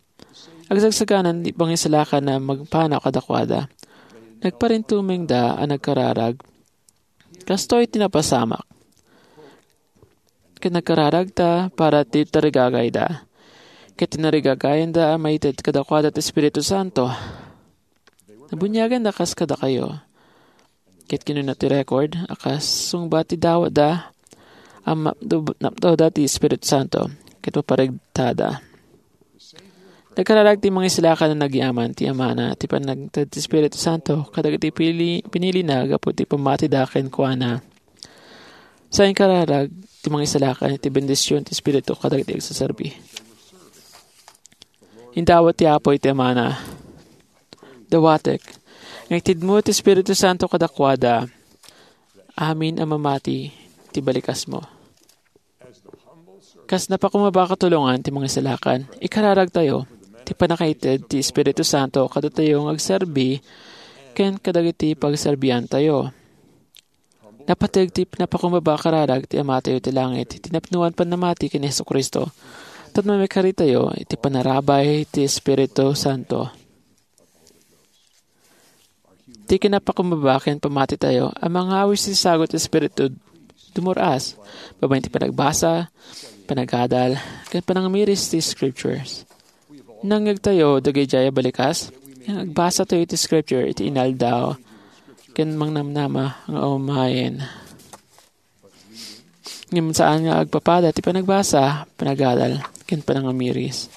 Agsagsaganan ti mangisalakan a magpanaw kadakuada. Nagparintumengda a nagkararag. Kastoy ti napasamak. Ket nagkararagda para ti tarigagayda. Ket tinarigagayanda a maited kadakuada ti Espiritu Santo. Nabuniaganda kas kadakayo. Ket kinuna ti record a kas sungbat ti dawatda a mapdo-, napnoda ti Espiritu Santo ket maparegtada. Nagkararag ti mangisalakan a nagyaman ti amana ti panagted ti Espiritu Santo kadagiti pili-, pinilina gapu ti pammatida kenkuana. Sa inkararag ti mangisalakan iti bendision ti Espiritu kadagiti agsaserbi. Indawat ti Apo iti amana. Dawatek nga itedmo ti Espiritu Santo kadakuada amin a mamati ti balikasmo. Kas napakumbaba a katulongan ti mangisalakan, ikararagtayo ti pannakaited ti Espiritu Santo kadatayo nga agserbi ken kadagiti pagserbiantayo. Napateg ti napakumbaba a kararag ti Amatayo ti langit iti napnoan pannamati ken ni Jesu-Cristo tapno maikaritayo iti panarabay ti Espiritu Santo. Ti kinapakumbaba ken pammatitayo a mangawis ti sagut ti Espiritu dumur-as babaen ti panagbasa, panagadal, ken panangamiris ti Scriptures. Nangngegtayo dagiti a balikas nga agbasatayo iti Scripture iti inaldaw ken mangnamnama nga umayen. Ngem saan nga agpapada ti panagbasa, panagadal, ken panangamiris.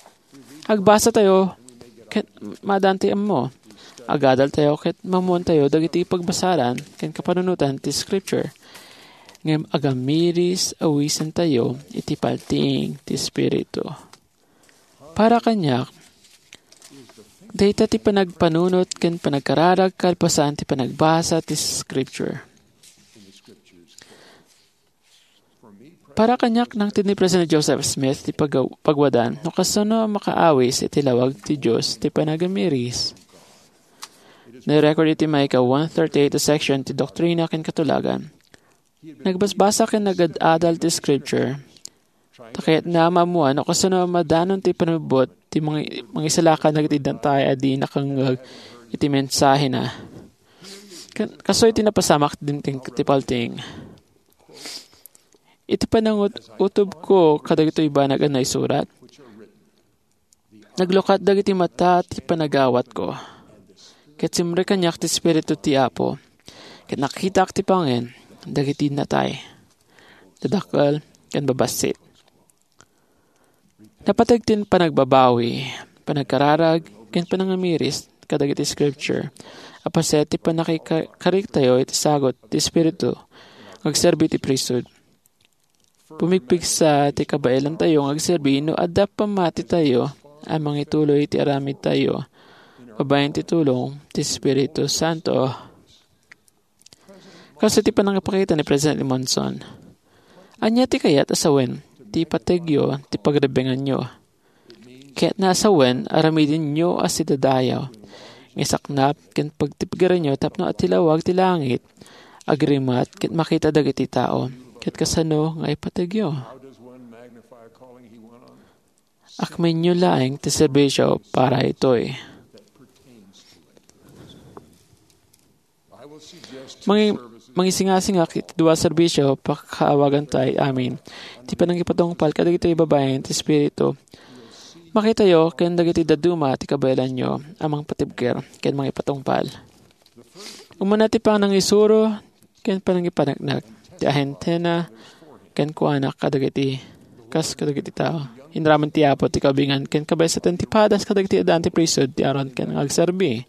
Agbasatayo ket maadantayo ammo. Agadaltayo ket maammoantayo dagiti pagbasaran ken kapanunotan ti Scripture. Ngem agamiris awisentayo iti paltiing ti Espiritu. Para kaniak, dayta ti panagpanunot ken panagkararag kalpasan ti panagbasa ti Scripture. Para kaniak, nangted ni President Joseph Smith ti pag-, pagwadan no kasano a makaawis iti lawag ti Dios ti panagamiris. Nairecord iti maika one thirty-eight a section ti Doktrina ken Katulagan. Nagbasbasa ken nagad-adal ti Scripture. Ta kayatna a maammoan no kasano a madanon ti pannubbot ti mangi-, mangisalakan dagiti natay a di nakangngeg iti mensahena. Ken kastoy ti napasamak dimteng ti paltiing. Iti panangut-, utobko kadagitoy banag a naisurat, naglukat dagiti mata ti panagawatko. Ket simrek kaniak ti Espiritu ti Apo, ket nakitak ti pangen dagiti natay, dadakkel ken babassit. Napateg ti panagbabawi, panagkararag, ken panangamiris kadagiti Scripture a paset ti pannakika-, kariktayo iti sagut ti Espiritu nga agserbi ti priesthood. Pumigpigsa ti kabaelantayo nga agserbi no adda pammatitayo a mangituloy iti aramidtayo babaen ti tulong ti Espiritu Santo. Kastoy ti panangipakita ni President Monson, "Ania ti kayat a sawen ti ipategyo ti pagrebbenganyo? Kayatna a sawen, aramidenyo a sidadayo nga isaknap ken pagtipgeranyo tapno ti lawag ti langit agrimat ket makita dagiti tao ket kasano nga ipategyo. Akmenyo laeng ti serbisio para itoy." Mangi-, mangisingasingak iti dua a serbisio pakaawagantayo amin ti panangipatungpal kadagitoy babaen ti Espiritu. Makitayo ken dagiti dadduma ti kabaelanyo a mangpatibker ken mangipatungpal. Umuna ti panangisuro ken panangipaneknek ti ahentena kenkuana kadagiti kas kadagiti tao. Inaraman ti Apo ti kaubingan ken kabaysaten ti padas kadagiti addaan ti priesthood ti Aaron ken nga agserbi.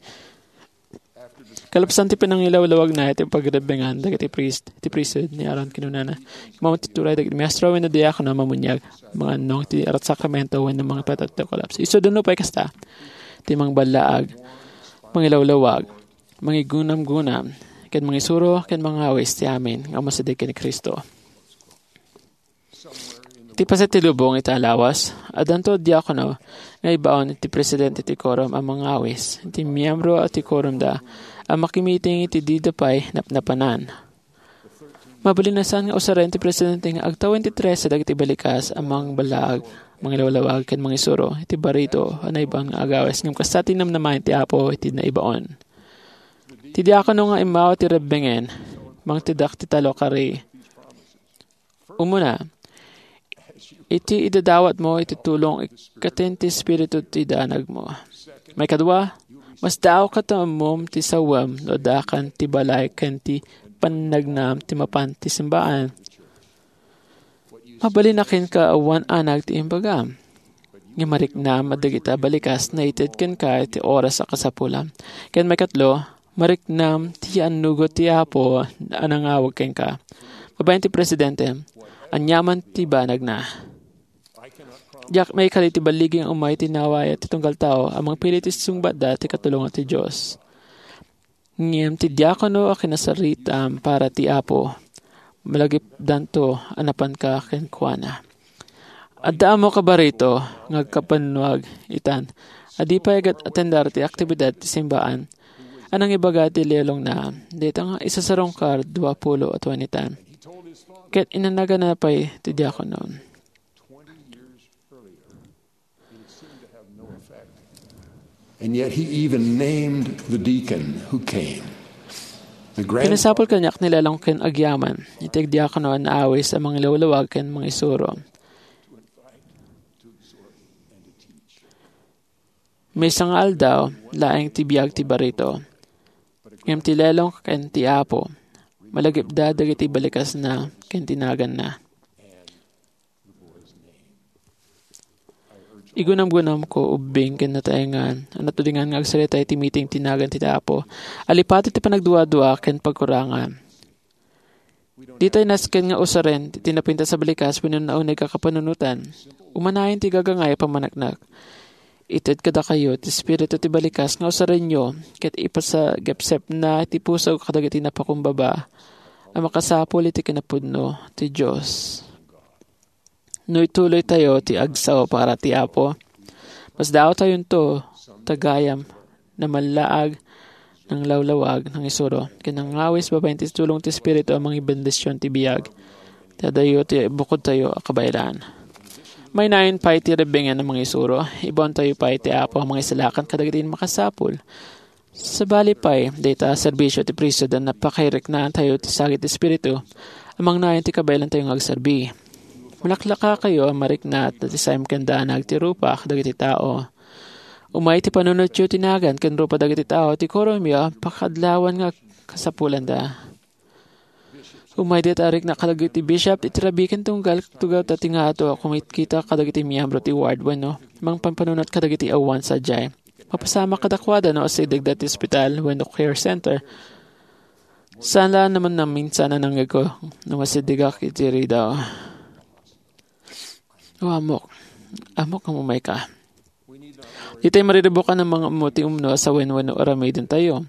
Kalpasan ti panangilawlawagna iti pagrebbengan dagiti priest, ti priesthood ni Aaron, kinunana, "Maammo ti turay dagiti maestro wenno diakono a mamuniag, mangannong ti sakramento wenno mangipatay ti kolapso." Isu no pay kasta, ti mangballaag, mangilawlawag, mangigunamgunam, ken mangisuro ken mangawis ti amin nga umasideg ken ni Cristo. Ti paset ti lubong ita a lawas, Addanto diakono nga ibaon iti presidente ti korum a mangawis iti miyembro ti korumda a makimiting iti dida pay napnapanan. Mabalin a saan nga usaren ti presidente nga agtawen ti trese dagiti balikas a mangballaag, mangilawlawag, ken mangisuro iti barito a naibaon nga agawis, ngem kasta ti namnama ti Apo iti naibaon. Ti diakono nga immawat ti rebbengen, mangtedak ti tallo kari. Umuna, iti idadawatmo iti tulong, ikkaten ti Espiritu ti danagmo. Maikadua, masdaawka ta ammom ti sawem no addakan ti balay ken ti pannagnam ti mapan ti simbaan. Mabalin a kenka awan anag ti imbagam. Nga mariknam a dagita balikas naited kenka iti oras a kasapulam. Ken maikatlo, mariknam ti annugot ti Apo a nangawag kenka. Babaen ti presidente, aniaman ti banagna. Diak maikari ti balligi nga umay ti nawaya ti tunggal tao a mangpili ti sungbatda ti katulongan ti Dios. Ngem ti diakono a kinasaritam para ti Apo, malagipdanto a napanka kenkuana. Adda ammo kabarito nga agkabannuag itan a di pay agat-atendar ti aktibidad ti simbaan a nangibaga ti lelongna dayta nga isasarungkar dua pulo a tawnitan. Ket inanagana pay ti diakono. And yet he even named the deacon who came. The grand- Kinasapul kaniak ni lelong ken agyaman iti agdiakono a naawis a mangilawlawag ken mangisuro. Maysa nga aldaw, laeng ti biag ti barito. Ngem ti lelong ken ti Apo, malagipda dagiti balikasna ken ti naganna. Igunamgunamko ubbing ken nataengan a natudengan nga agsarita iti meeting ti nagan ti Apo a lipati ti panagduadua ken pagkurangan. Ditay nasken nga usaren ti napintas a balikas wenno nauneg a kapanunotan. Umanayen ti gagangay a pammaneknek. Ited kadakayo ti espiritu ti balikas nga usarenyo ket ipasagepsepna ti puso kadagiti napakumbaba a makasapul iti kinapudno ti Dios. No ituloytayo ti agsao para ti Apo, masdaawtayonto ta gayam namallaag, nanglawlawag, nangisuro, ken nangawis babaen ti tulong ti Espiritu a mangibendision ti biag ti adayo ti bukodtayo a kabaelan. Maynayon pay ti rebbengen a mangisuro, ibaontayo pay ti Apo a mangisalakan kadagiti makasapul. Sabali pay, dayta a serbisio ti priesthood a napakairiknaantayo ti sagid ti Espiritu a mangnayon ti kabaelantayo nga agserbi. Malaklakakayo a marikna ti saem ken danag ti rupa kadagiti tao. Umay ti panunotyo ti nagan ken rupa dagiti tao ti kurumyo a pakaadlawan nga kasapulanda. Umay dayta a rikna kadagiti bishop iti rabii ken tunggal tugawda ti ngato a kumitkita kadagiti miyembro ti ward wenno mangpampanunot kadagiti awan sadiay. Mapasamak kadakuada no asidegda ti ospital wenno care center. Saan la naman naminsan a nangngegko no masidegak iti ridaw. O amok, amok nga umayka. Ditay mariribukan a mangammo ti umno a sawen wenno aramidentayo.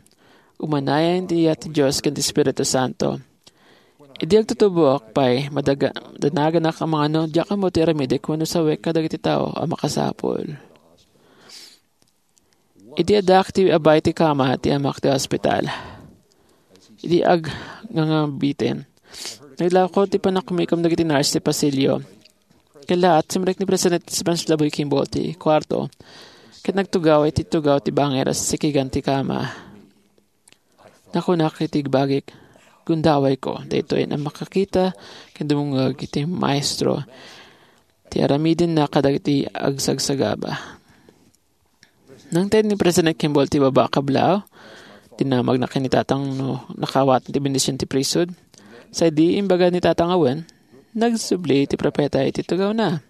Umanayen ti iyat ti Dios ken ti Espiritu Santo. Idi agtutuboak pay, madaga-, danaganak a mangano, diak ammo ti aramidek wenno sawek kadagiti tao a makasapul. Idi addaak ti abay ti kama ti amak ti ospital. Idi ag-, ngangabiten, naglako ti panakumikom dagiti nurse ti pasilyo. Kalaat, simrek ni President Spence Laboy Kimball ti kuarto, ket nagtugaw iti tugaw ti bangir a sikigan ti kama. Nakunak iti bagik, "Gundawayko, daytoy a makakita ken dumungeg iti Maestro ti aramidenna kadagiti agsagsagaba." Nangted ni President Kimball ti baba a kablaaw. Dinamagna ken ni Tatang no nakaawatan ti bendision ti priesthood. Sa idi imbaga ni Tatang a wen, nagsubli ti propeta iti tugawna.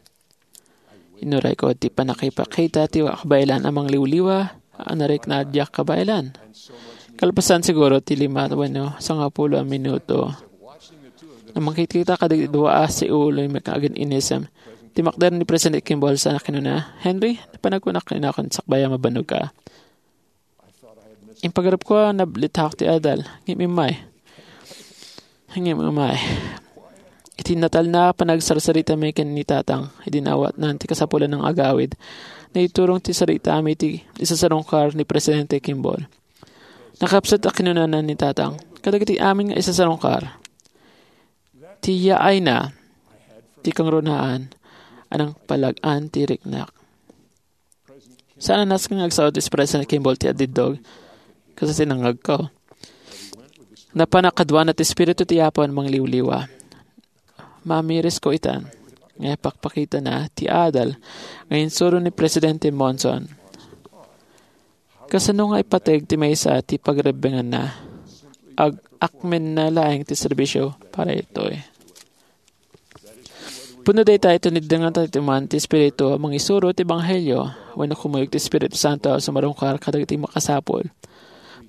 Inurayko ti pannakipakita ti kabaelan a mangliwliwa a narikna a diak kabaelan. Kalpasan siguro ti lima wenno sangapulo a minuto, nangkitkita kadagiti dua a siuloy nga agin-inisem. Timakder ni President Kimball sa kinuna, "Henry, napanagkunak kenka, sakbay a mabannog ka." Impagarupko a nablitak ti adal, ngem immay. Ngem immay. Iti natalna a panagsarsarita mi ken ni Tatang, idi naawatnan ti kasapulan nga agawid, naiturong ti saritami iti isasarungkar ni Presidente Kimball. Nakapsut a kinunana ni Tatang, kadagiti amin nga isasarungkar, ti yaayna, ti kangrunaan, a nangpalag-an ti riknak. Saan a nasken nga agsao ti President Kimball ti adiddog, kas ti nangngegko. Napan a kaduana ti Espiritu ti Apo a mangliwliwa. Mamirisko itan, nga ipakpakitana ti adal nga insuro ni Presidente Monson. Kasano nga ipateg ti maysa ti pagrebbenganna? Ag-, akmenna laeng ti serbisio para itoy. Pudno dayta iti niddengan tayo man ti Espiritu a mangisuro ti Ebanghelio, wenno kumuyog ti Espiritu Santo a sumarungkar kadagiti makasapul.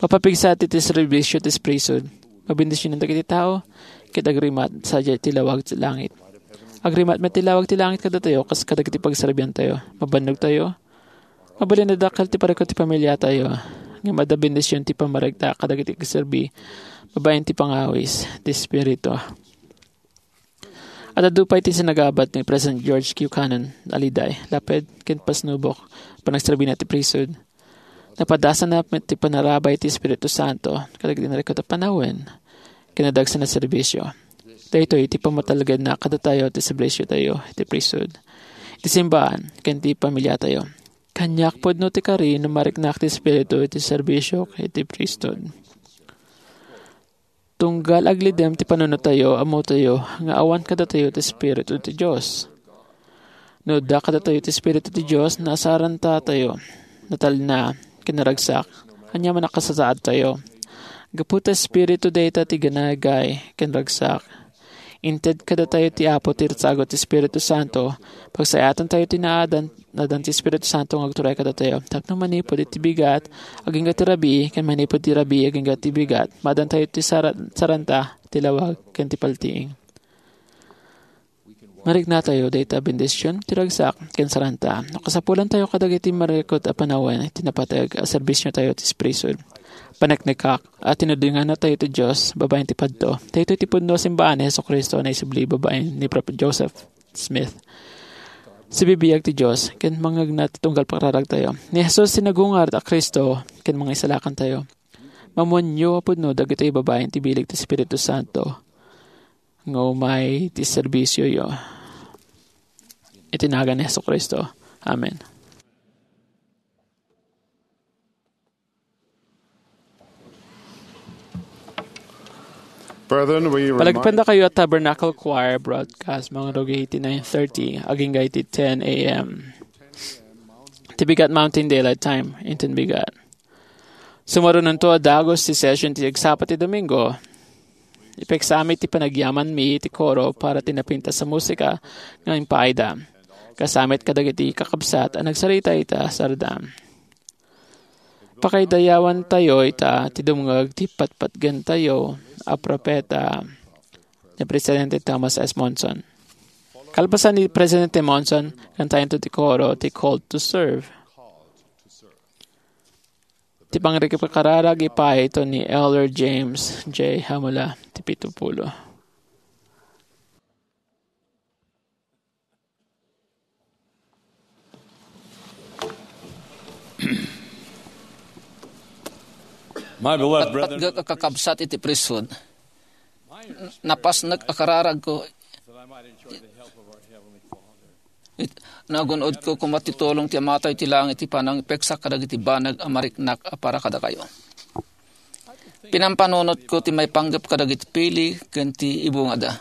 Mapapigsa ti, ti serbisio ti priesthood. Mabendisionan dagiti tao, ket agrimat sadiay ti lawag ti langit. Agrimat met ti lawag ti langit kadatayo, kas kadagiti pagserbiantayo. Mabannog tayo. Mabalin a dakkel ti parikut ti pamiliatayo. Ngem adda bendision ti pammarikta kadagiti agserbi babaen ti pangawis ti Espiritu. Adda pay ti sinagabat ni President George Q. Cannon, Aliday, Lapid, ken Pasnubok, panagserbina ti priesthood. Napadasanna met ti panarabay ti Espiritu Santo kadagiti narikut a panawen ken nadagsen a serbisio. Daytoy ti pammatalgedna kadatayo ti serbisiotayo iti priesthood, iti simbaan, ken ti pamiliatayo. Kaniak pudno ti kari no mariknak ti Espiritu iti serbisio iti priesthood. Tunggal aglidem ti panunotayo, ammotayo nga awan kadatayo ti Espiritu ti Dios. No adda kadatayo ti Espiritu ti Dios, nasarantatayo, natalna, ken naragsak, aniaman a kasasaadtayo. Gapu ta Espiritu dayta ti ginagay ken ragsak. Inted kadatayo ti Apo ti ragsak ti Espiritu Santo, pagsayaatantayo ti naadan, naadan ti Espiritu Santo nga agturay kadatayo. Tapno manipud iti bigat, agingga ti rabii, ken manipud ti rabii, agingga ti bigat, maadantayo ti sara-, saranta, ti lawag, ken ti paltiing. Mariknatayo dayta bendision ti ragsak ken saranta. No kasapulantayo kadagiti marikut a panawen ti napateg a serbisiotayo ti priesthood. Paneknekak a tinudingannatayo ti Dios babaen ti padto. Daytoy ti pudno a simbaan ni Jesu-Cristo a naisubli babaen ni Prophet Joseph Smith. Sibibiag ti Dios ken mangngegna ti tunggal pakararagtayo. Ni Jesus ti nagungar a Cristo ken Mangisalakantayo. Mamuenyo a pudno dagitoy babaen ti bileg ti Espiritu Santo nga umay ti serbisioyo. Iti nagan ni Jesu-Cristo. Amen. Brethren, we remind Palagipendakayo a Tabernacle Choir broadcast mangrugi iti nine thirty, agingga iti ten a m. Ti bigat Mountain Daylight Time, inton bigat. Sumarunonto a dagus ti session ti agsapa ti Domingo. Ipeksami ti panagyamanmi ti koro para ti napintas a musika nga impaayda. Kasami kadagiti kakabsat a nagsarita ita sardam. Pakaidayawantayo ita ti dumngeg ti patpatgentayo a propeta ni Presidente Thomas S. Monson. Kalpasan ni Presidente Monson, kantayento ti koro ti Called to Serve. Ti pangrikararag ipaayto ni Elder James J. Hamula, ti pito pulo. My beloved brethren, Patpatgek a kakabsat iti priesthood. Napasnek a kararagko. It-, nagun-odko koma ti tulong ti Amatayo ti langit ti panangipeksak kadagiti banag a mariknak a para kadakayo. Pinampanunotko ti maipanggep kadagiti pili ken ti ibungada.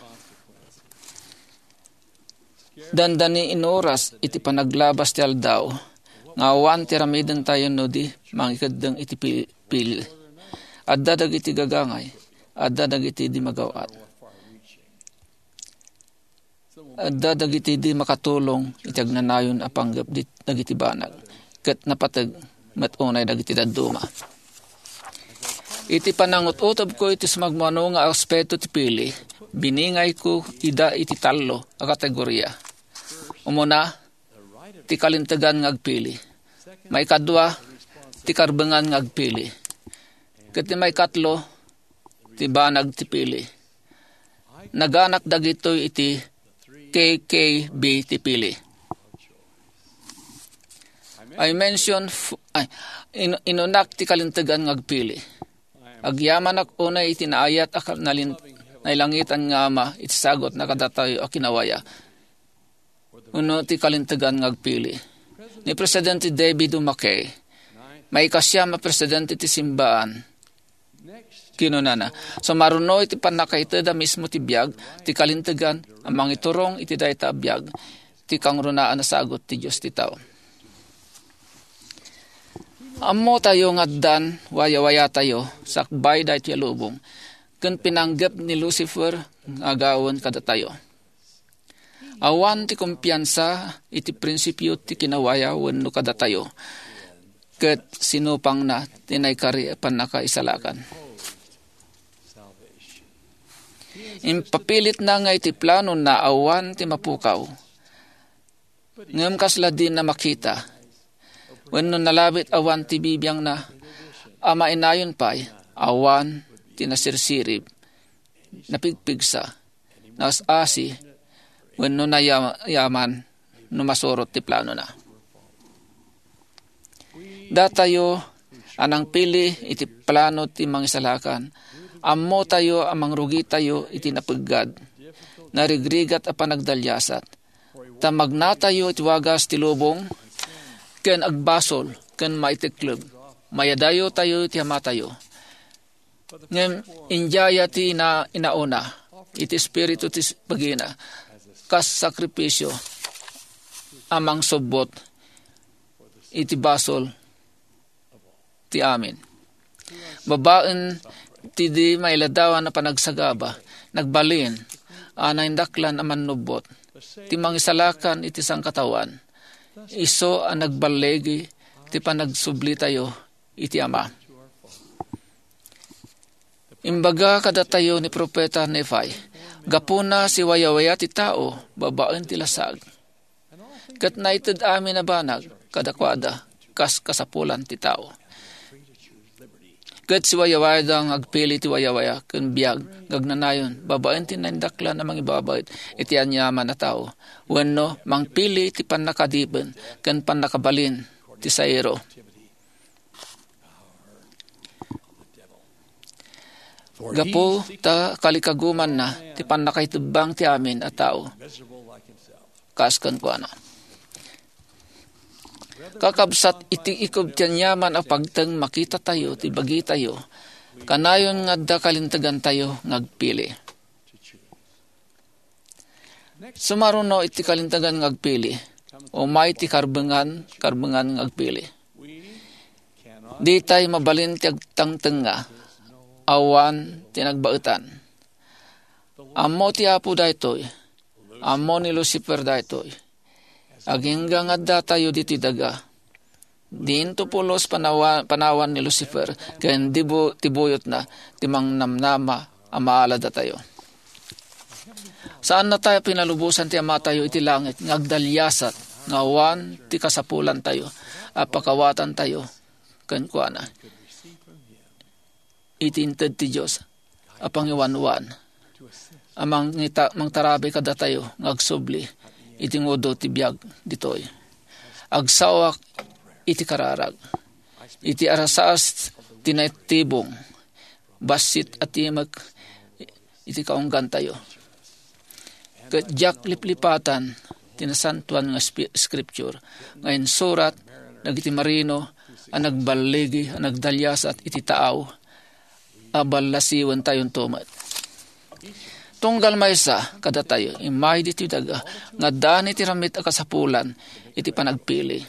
Dandani inoras iti panaglabas ti aldaw nga awan ti aramidentayo no di mangikeddeng iti pi-, pili. Adda dagiti gagangay, adda dagiti di magaw-at. Adda dagiti di makatulong iti agnanayon a panggep di-, dagiti banag, ket napateg met unay dagiti dadduma. Iti panangut-utobko iti sumagmamano nga aspeto ti pili, biningayko ida iti tallo a kategoria. Umuna, ti kalintegan nga agpili. Maikadua, ti karbengan nga agpili. Ket ti maikatlo, ti banag ti pili. Naganak dagitoy iti K K B ti pili. I mention f-, ay, in-, inunak ti kalintegan nga agpili. Agyamanak unay iti naayat a kal-, nalin-, nailangitan nga Ama iti sagut na kadatayo a kinawaya. Uno ti kalintegan nga agpili. Ni Presidente David O. McKay, maikasiam a presidente ti simbaan, kinunana, "Sumaruno iti pannakaited a mismo ti biag, ti kalintegan a mangiturong iti dayta a biag, ti kangrunaan a sagut ti Dios ti tao." Ammotayo nga addan wayawayatayo sakbay daytoy a lubong, ken pinanggep ni Lucifer nga agawen kadatayo. Awan ti kumpiansa iti prinsipio ti kinawaya wenno kadatayo, ket sinupangna ti naikari a pannakaisalakan. Impapilitna nga iti planona awan ti mapukaw. Ngem kasla dina makita, wenno nalabit awan ti bibiangna, a mainayon pay, awan ti nasirsirib, napigpigsa, naas-asi, wenno nayam-, yaman no masurot ti planona. Datayo a nangpili iti plano ti Mangisalakan, ammotayo a mangrugitayo iti napeggad, narigrigat a panagdaliasat, ta magnatayo iti wagas ti lubong, ken agbasol, ken maitekleb, mayadayotayo iti Amatayo. Ngem inyaya ti ina-, inauna iti espiritu ti s-, bagina kas sakripisio a mangsubbot iti basol ti amin. Babaen ti di mailadawan a panagsagaba, nagbalin a naindaklan a mannubbot ti Mangisalakan iti sangkataoan, isu a nagballigi ti panagsublitayo iti Ama. Imbaga kadatayo ni Profeta Nefi, gapuna siwayawaya ti tao babaen ti lasag. Ket naited amin a banag kadakuada kas kasapulan ti tao. Ket siwayawayada nga agpili ti wayawaya ken biag nga agnanayon babaen ti naindaklan a mangibabaet iti aniaman a tao, wenno mangpili ti pannakadipen ken pannakabalin ti sairo. Gapu ta kalikagumanna ti pannakaitebbang ti amin a tao, kas kenkuana. Kakabsat, iti ikub ti aniaman a pagteng makitatayo ti bagitayo, kanayon nga adda kalintegantayo nga agpili. Sumaruno iti kalintegan nga agpili, umay ti karbengan, karbengan nga agpili. Ditay mabalin ti agtangtenga, awan ti nagbaetan. Ammo ti Apo daytoy, ammo ni Lucifer daytoy. Agingga nga addatayo ditoy daga. Dinto pulos panawa-, panawan ni Lucifer ken dibu-, ti buyotna ti mangnamnama a maaladatayo. Saanna tayo pinalubosan ti Amatayo iti langit nga agdaliasat nga awan ti kasapulantayo a pakawatantayo kenkuana iti inted ti Dios a pangiwanwan a mangita-, mangtarabi kadatayo nga agsubli iti ngudo ti biag ditoy. Agsawak iti kararag, iti arasaas ti naitibong, bassit a timek iti kaunggantayo. Ket diak liplipatan ti nasantoan nga spi-, scripture nga insurat dagiti marino a nagballigi a nagdaliasat iti taaw a ballasiwentayo met. Tunggal maysa kadatayo, immay ditoy daga nga addaan iti ramit a kasapulan iti panagpili.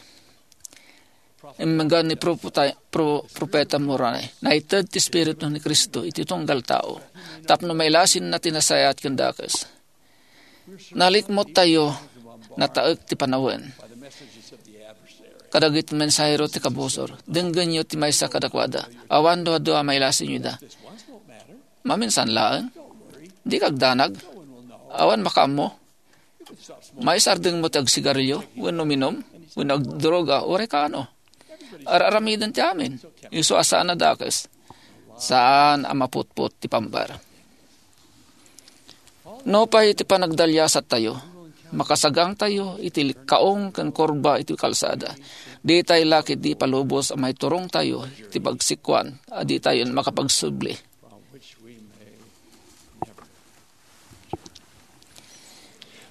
Immenggan ni Propeta, Pro-, Propeta Moroni, naited ti Espiritu ni Cristo iti tunggal tao tapno mailasinna ti nasayaat ken dakes. Nalikmottayo, nataek ti panawen. Kadagiti mensahero ti kabusor, denggenyo ti maysa kadakuada. Awan duadua a mailasinyo ida. Maminsan laeng. Di kagdanag. Awan makaammo. Maisardengmo ti agsigarilyo, wenno uminum, wenno agdroga, uray kaano. Ar-aramiden ti amin. Isu a saan a dakes. Saan a maputpot ti pambar. No pay ti panagdaliasattayo, makasagangtayo iti likkaong ken kurba iti kalsada. Ditay la ketdi palubos a maiturongtayo iti pagsikkuan a ditayon makapagsubli.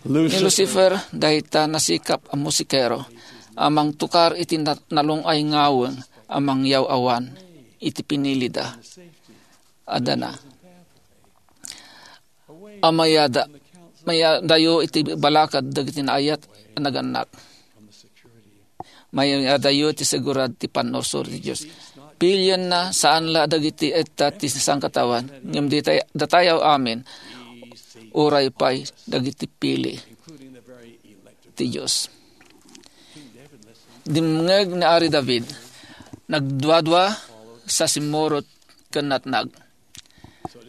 Ni Lucifer, dayta nasikap a musikero a mangtukar iti na-, nalung-ay ngaweng a mangyaw-awan iti pinilida. Adana. A mayada, mayadayo iti balakad dagiti naayat a nagannak. Mayadayo iti segurad ti pannursuro ti Dios. Pilienna, saan la dagiti etta ti sangkataoan, ngem ditay, datayaw amin, uray pay dagiti pili ti Dios. Dimngeg ni Ari David, nagduadua sa simmurot ken natnag.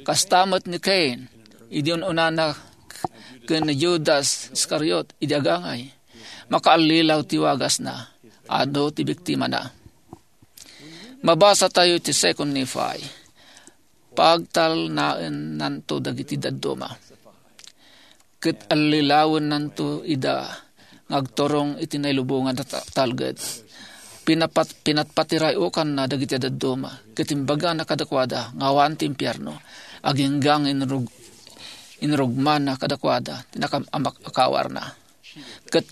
Kasta met ni Cain, idi un-unana, ken ni Judas Iscariot, idi agangay. Makaallilaw ti wagasna, adu ti biktimana. Mabasatayo ti Second Nephi. Pagtalnaennanto dagiti dadduma. Ket allilawennanto ida nga agturong iti nailubongan a ta-, talged. Pinapat-, pinatpatirayokanna dagiti dadduma, ket imbagana kadakuada nga awan ti impierno, agingga nga inrug-, inrugmana kadakuada ti nakam-, amak-, akawarna. Ket,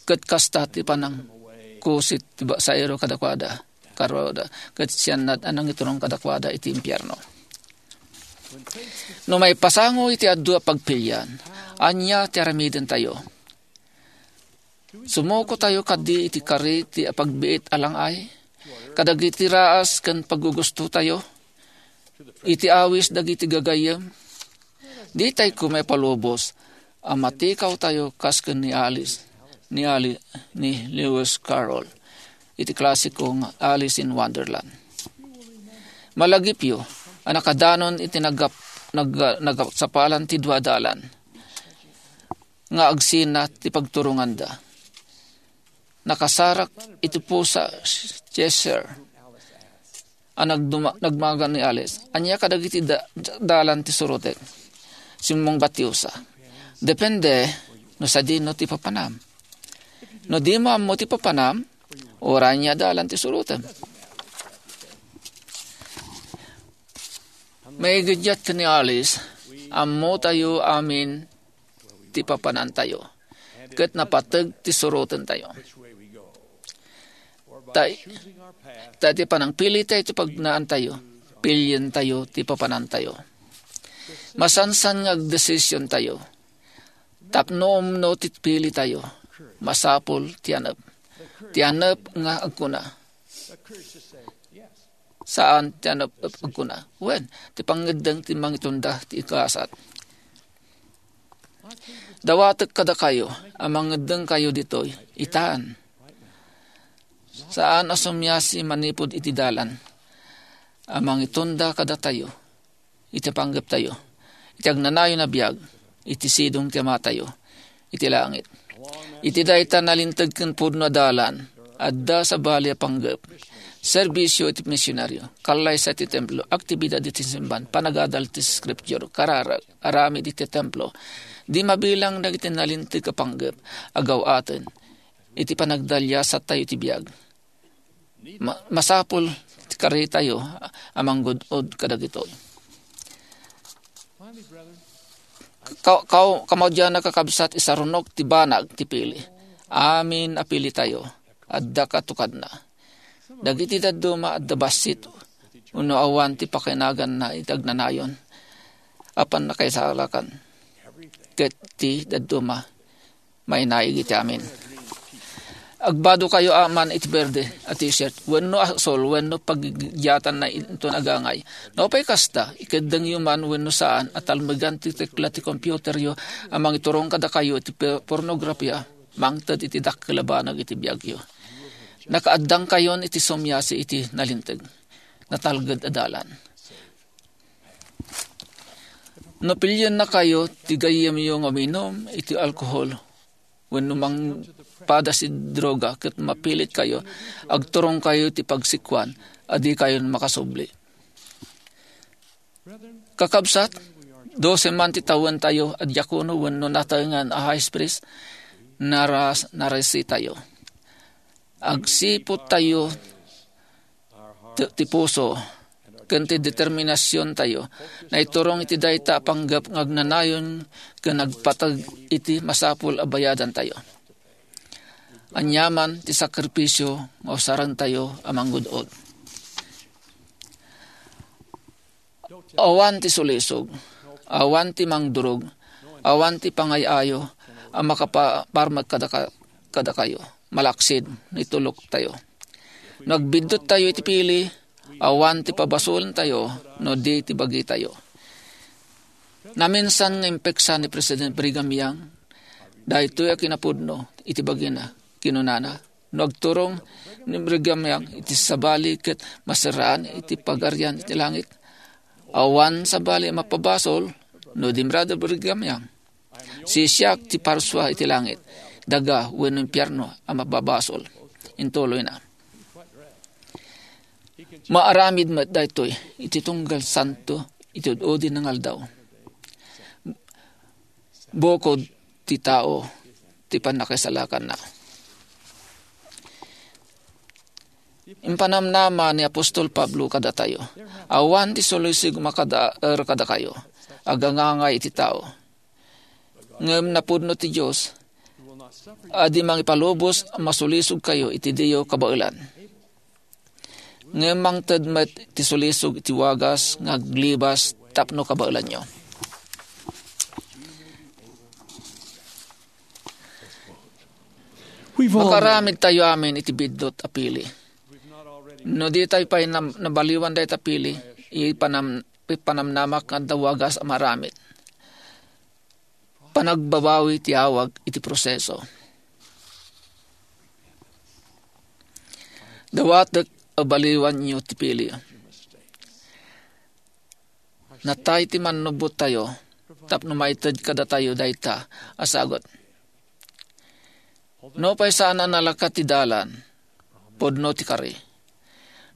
ket kasta ti panangkusit ti ba-, sairo kadakuada. Karoda, ket siannad a nangiturong kadakuada iti impierno. No maipasango iti adu a pagpilian, ania ti aramidentayo? Sumukotayo kadi iti kari ti apagbiit a lang-ay? Kadagiti raas ken paggugustotayo? Iti awis dagiti gagayyem? Ditay koma ipalubos a matikawtayo kas ken ni Alice, ni Ali, ni Lewis Carroll iti klasiko nga Alice in Wonderland. Malagipyo a nakadanon iti nagap-, nag-, nagsapalan ti dua dalan nga agsina ti pagturonganda. Nakasarak iti pusa Cheshire a nagduma-, nagmagan ni Alice. Ania kadagiti da-, dalan ti surotek? Simmungbat ti usa. Depende no sadino ti papanam. No dimo ammo ti papanam, uray ania dalan ti surotem. Maigiddiat ken ni Alice, ammotayo amin ti papanantayo, ket napateg ti surotentayo. Ta, ta iti panangpilitayo ti pagnaantayo, pilientayo ti papanantayo. Masansan nga agdesisiontayo. Tapno umno ti pilitayo, masapul ti anep. Ti anep nga agkuna, saan ti anep agkuna. Wen, ti pangngeddeng ti mangitunda ti ikasat. Dawatek kadakayo a mangngeddengkayo ditoy, itan. Saan a sumiasi manipud iti dalan a mangitunda kadatayo iti panggeptayo, iti agnanayon a biag, iti sidong ti Amatayo iti langit. Iti dayta nalinteg ken pudno a dalan, adda sabali a panggep, serbisyo iti misionario, kallaysa iti templo, aktibidad iti simban, panagadal iti scripture, kararag, aramid iti templo. Di mabilang dagiti nalinteg a panggep a gaw-aten iti panagdaliasattayo iti biag. Ma-, masapul ti karitayo a manggud-od kadagitoy. Ka-, ka-, kamaudianna, kakabsat, isarunok ti banag ti pili. Amin a pilitayo, adda katukadna. Dagiti dadduma adda bassit wenno awan ti pakinaganna iti agnanayon a pannakaisalakan. Ket ti dadduma mainaig iti amin. Agbadokayo a man iti berde a t-shirt wenno asul wenno paggigiatanna inton agangay. Nupay kasta, ikeddengyo man wenno saan a talmegan ti tekla ti computeryo a mangiturong kadakayo iti pe-, pornografia, mangted iti dakkel a banag iti biagyo. Nakaaddangkayon iti sumiasi iti nalinteg, natalged a dalan. No piliennakayo ti gayyemyo nga uminum iti alkohol wenno mangpada ti droga ket mapilitkayo, agturongkayo ti pagsikkuan a dikayon makasubli. Kakabsat, Dose man ti tawentayo a diakono wenno nataengan a high priest, naras-, narasitayo. Agsipud tayo ti, ti puso ken ti determinasion tayo. Naiturong iti dayta a panggep nga agnanayon ken agpateg iti masapul a bayadan tayo. Aniaman ti sakripisio nga usaren tayo a manggud-od. Awan ti sulisog, awan ti mangdurog, awan ti pangay-ayo a makapaparmek kadaka-, kadakayo, malaksid, nitulok tayo. No agbiddut tayo iti pili, awan ti pabasolentayo no di ti bagitayo. Naminsan nga impeksa ni President Brigham Young daytoy a kinapudno iti bagina. Kinunana, "No agturong ni Brigham Young iti sabali ket maserraan iti Pagarian iti langit, awan sabali a mapabasol no di Brother Brigham Young. Siak ti parsua iti langit, daga wenno impierno a mapabasol." Intuloyna, "Maaramid met daytoy iti tunggal santo iti ud-udi nga aldaw. Bukod ti tao ti pannakasalakanna." Impanamnama ni apostol Pablo kadatayo, "Awan ti sulisog makadaer kadakayo, agangangay iti tao. Ngem napudno ti Dios a di mangipalubos a masulisogkayo iti diyo kabaelan." Ngem mangted met ti sulisog iti wagas nga aglibas tapno kabaelanyo. Makaramid tayo amin iti biddut a pili. No di tayo pay nam-, nabaliwan dayta pili, ipanam-, ipanamnamak nga adda wagas a maramid. Panagbabawi ti awag iti proseso. Dawatek a baliwanyo ti pili. Natay ti mannubot tayo tapno maited kadatayo dayta a sagut. No pay saan a nalaka ti dalan, pudno ti kari.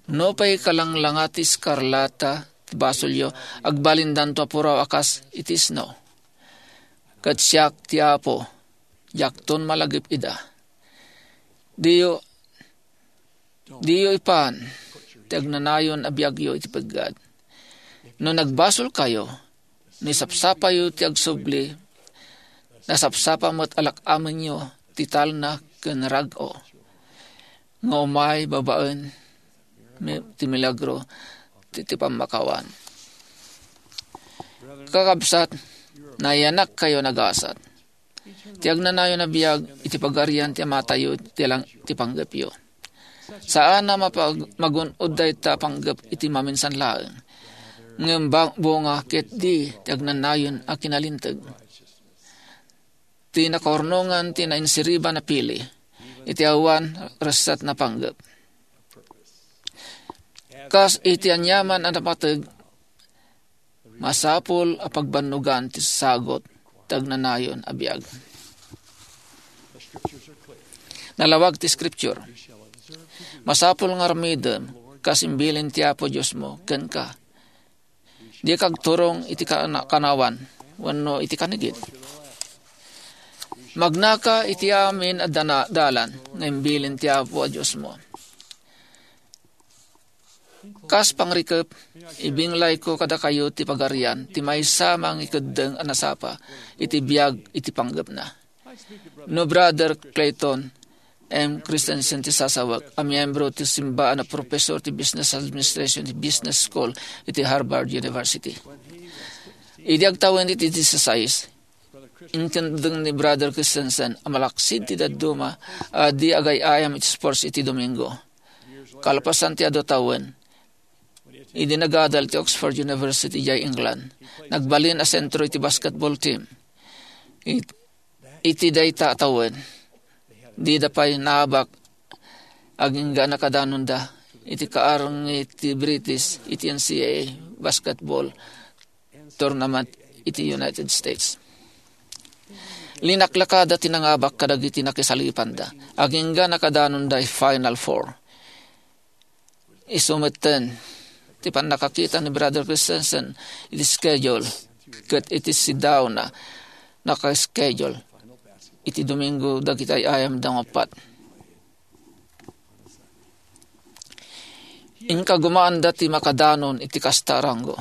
No pay kalanglanga ti eskarlata ti basolyo, agbalindanto a puraw a kas iti isno. Ket siak ti Apo, diakton malagip ida. Diyo, diyo ipan ti agnanayon a biagyo iti peggad. No nagbasolkayo, no isapsapayo ti agsubli, nasapsapa met a lak-amenyo ti talna ken rag-o nga umay babaen mi-, ti milagro ti, ti pammakawan. Kakabsat, nayanakkayo nagasat. Ti agnanayon a biag iti pagarian ti Amatayo ti lang-, ti panggepyo. Saan a mapag-, magun-od dayta a panggep iti maminsan laeng. Ngem ba-, bunga ket di ti agnanayon a kinalinteg. Ti nakaurnongan ti nainsiriban a pili iti awan resset a panggep. Kas iti aniaman a napateg, masapul a pagbannogan ti sagut ti agnanayon a biag. Nalawag ti Scripture. Masapul nga aramidem kas imbilin ti Apo Diosmo kenka. Dika agturong iti kana-, kanawan wenno iti kanigid. Magnaka iti amin a dana-, dalan nga imbilin ti Apo a Diosmo. Kas pangrikep, ibinglayko kadakayo ti pagarian ti maysa a mangikeddeng a nasapa iti biag iti panggepna. No Brother Clayton M. Christensen ti sasawek a miyembro ti simbaan a professor ti Business Administration ti Business School iti Harvard University. Idi agtawen iti disasais, intendeng ni Brother Christensen a malaksid ti dadduma a di agay-ayam iti sports iti Domingo. Kalpasan ti adu tawen, idi nagadal ti Oxford University idiay England, nagbalin a sentro iti basketball team. It-, iti dayta a tawen, dida pay naabak agingga nakadanonda iti kaarngi ti British iti N C A A basketball tournament iti United States. Linaklakada ti nangabak kadagiti nakisalipanda. Agingga nakadanonda iti Final Four. Isu metten ti pannakakita ni Brother Christensen iti schedule ket iti sidaona, naka-schedule iti Domingo dagiti ay-ayamda nga uppat. Inkagumaanda ti makadanon iti kasta a ranggo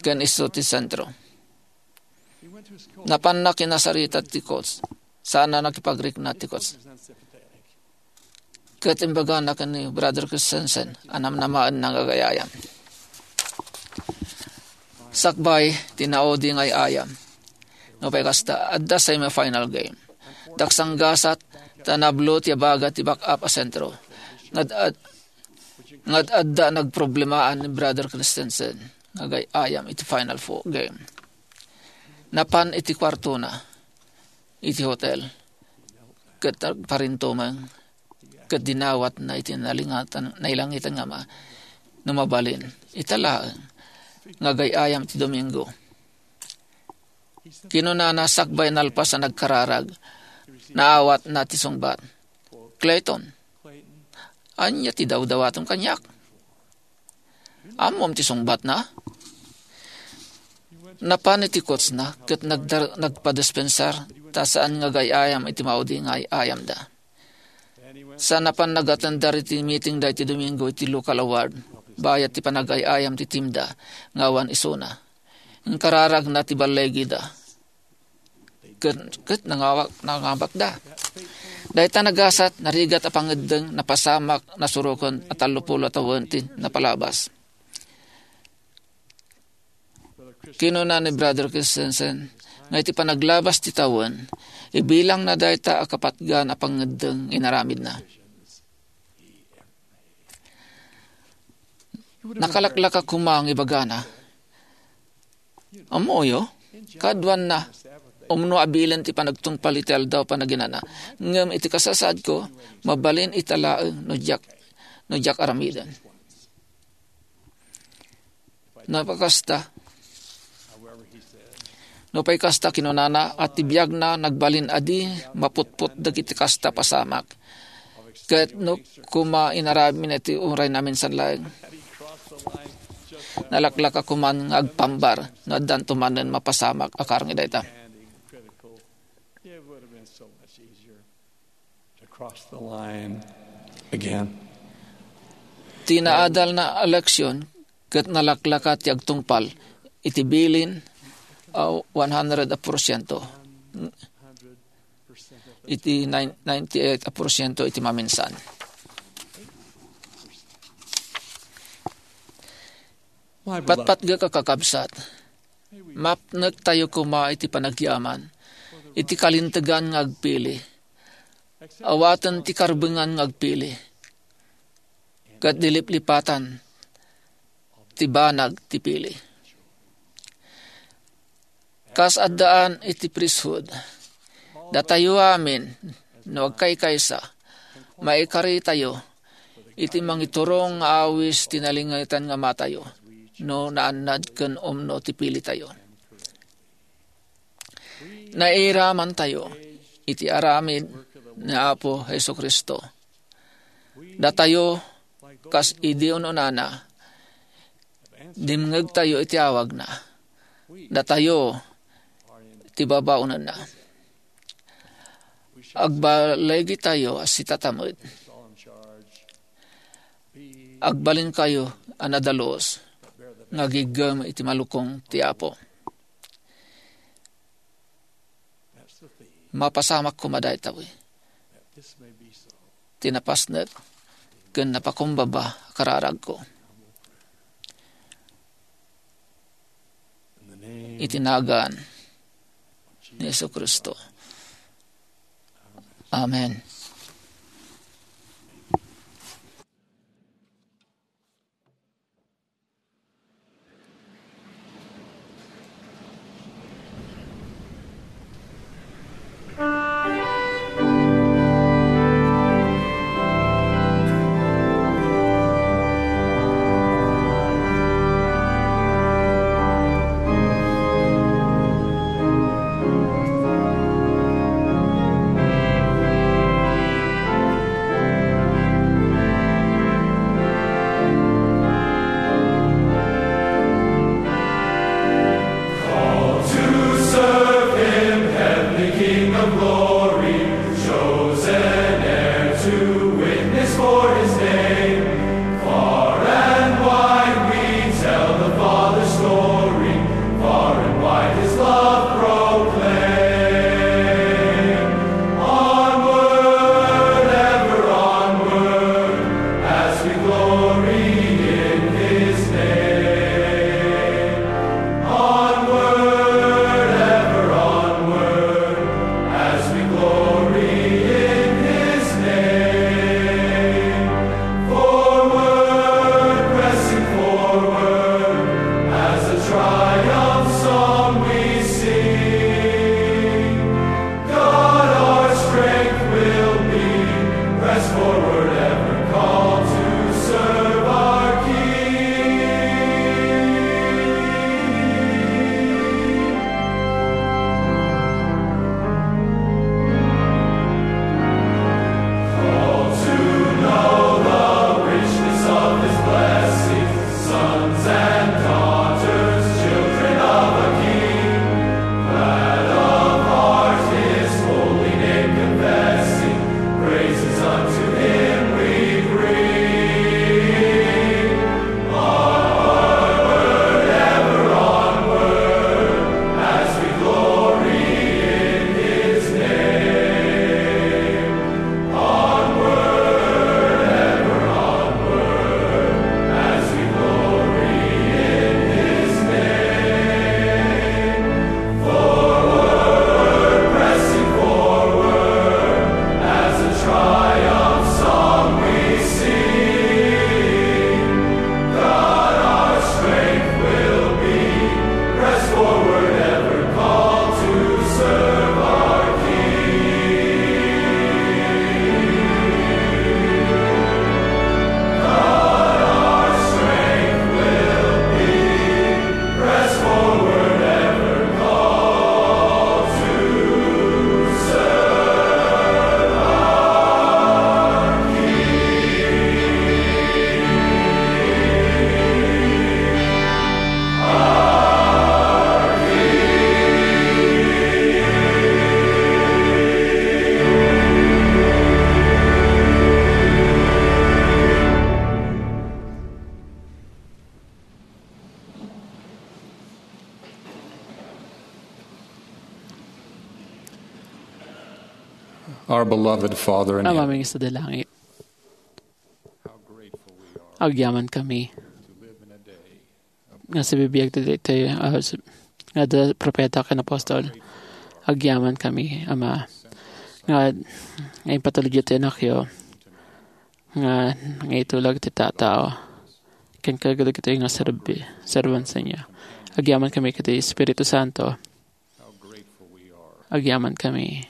ken isu ti sentro. Napanna kinasarita ti coach, sana nakipagrikna ti coach. Ket imbagana ken ni Brother Christensen a namnamaenna nga agay-ayam. Sakbay ti naudi nga ay-ayam. Nupay kasta, adda semifinal game. Daksanggasat ta nablo ti abaga ti backup a sentro. Nga ad-, nga adda nagproblemaan ni Brother Christensen nga agay-ayam iti Final Four game. Napan iti kuartona iti hotel ket nagparintumeng ket dinawatna iti nalingatan, nailangitan nga Ama no mabalin. Ita laeng nga agay-ayam ti Domingo. Kinunana sakbay nalpas a nagkararag, naawatna ti sungbat. "Clayton, ania ti dawdawatem kaniak? Ammom ti sungbatna?" Napan iti coachna ket nagdar-, nagpadispensar ta saan nga agay-ayam iti maudi nga ay-ayamda. Sa napan nagatendar iti meeting da iti Domingo iti local award, bayat ti panagay-ayam ti teamda nga awan isuna. Inkararagna ti ballegida. Ket, ket nangawak-, nangabakda. Dayta nagasat, narigat a pangeddeng, napasamak, nasuroken a tallopulo a tawen ti napalabas. Kinuna ni Brother Christensen nga iti panaglabas ti tawen, ibilangna dayta a kapatgan a pangeddeng inaramidna. Nakalaklaka koma nga ibagana, "Ammoyo, kaaduanna, umno a bilen ti panagtungpal iti aldaw panaginana, ngem iti kasasaadko, mabalin ita laeng no diak, no diak aramiden." Napakasta. Nupay kasta, kinunana, a ti biagna nagbalin a di maputpot dagiti kasta pasamak. Ket no koma inaramidna iti uray naminsan laeng, nalaklaka koman nga agpambar no addanto manen mapasamak a karngi dayta. It would have been so much easier to cross the line again. Ti naadalna a leksyon ket nalaklaka ti agtungpal iti bilin a one hundred a porsyento. Iti nine-, ninety-eight a porsyento iti maminsan. My beloved, patpatgek a kakabsat, mapnektayo koma iti panagyaman, iti kalintegan nga agpili. Awaten ti karbengan nga agpili, ket diliplipatan ti banag ti pili. Kas addaan iti priesthood, datayo amin, no agkaykaysa, maikaritayo iti mangiturong nga awis ti nalingetan nga Amatayo, no naannad ken umno ti pilitayo. Nairamantayo iti aramid ni Apo Jesu-Cristo. Datayo, kas idi un-unana, dimngegtayo iti awagna. Datayo ti babaonenna. Agballigitayo a sitata met. Agbalinkayo a nadalus nga agiggem iti malukong ti Apo. Mapasamak koma dayta, wi. Ti napasnek ken napakumbaba a kararagko. Iti nagan ni Jesu-Cristo. Amen. Our beloved Father in Ama heaven, mi nga sadi langit, agyaman kami nga sibibiag ti daytoy, ah, s-, nga adda propeta ken apostol. Agyaman kami, Ama, nga, nga impatulodyo ti anakyo, nga, nga itulag ti tatao, ken kadagitoy nga serbi-, serbansanyo. Agyaman kami iti Espiritu Santo. Agyaman kami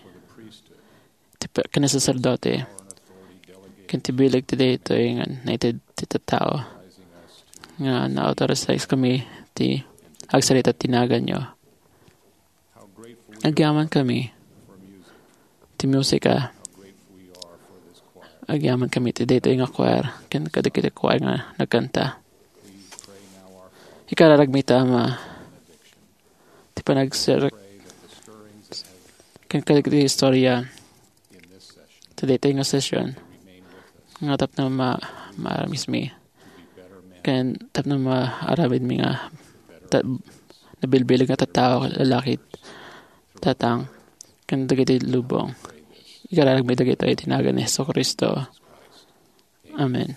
ti pe-, ken saserdote, ken ti bileg ti daytoy nga naited ti tattao, nga naautorisaiskami ti agsarita ti naganyo. Agyaman kami ti musika. Agyaman kami ti daytoy nga choir, ken kadagiti choir nga nagkanta. Ikararagmi ta, Ama, ti panagserrek ken kadagiti istorya ti daytoy nga session nga tapno ma-, maaramismi ken tapno maaramidmi nga ta-, nabilbileg nga tattao, lalaki, tatang, ken dagiti lubong. Ikararagmi dagitoy iti nagan ni Jesu-Cristo. Amen.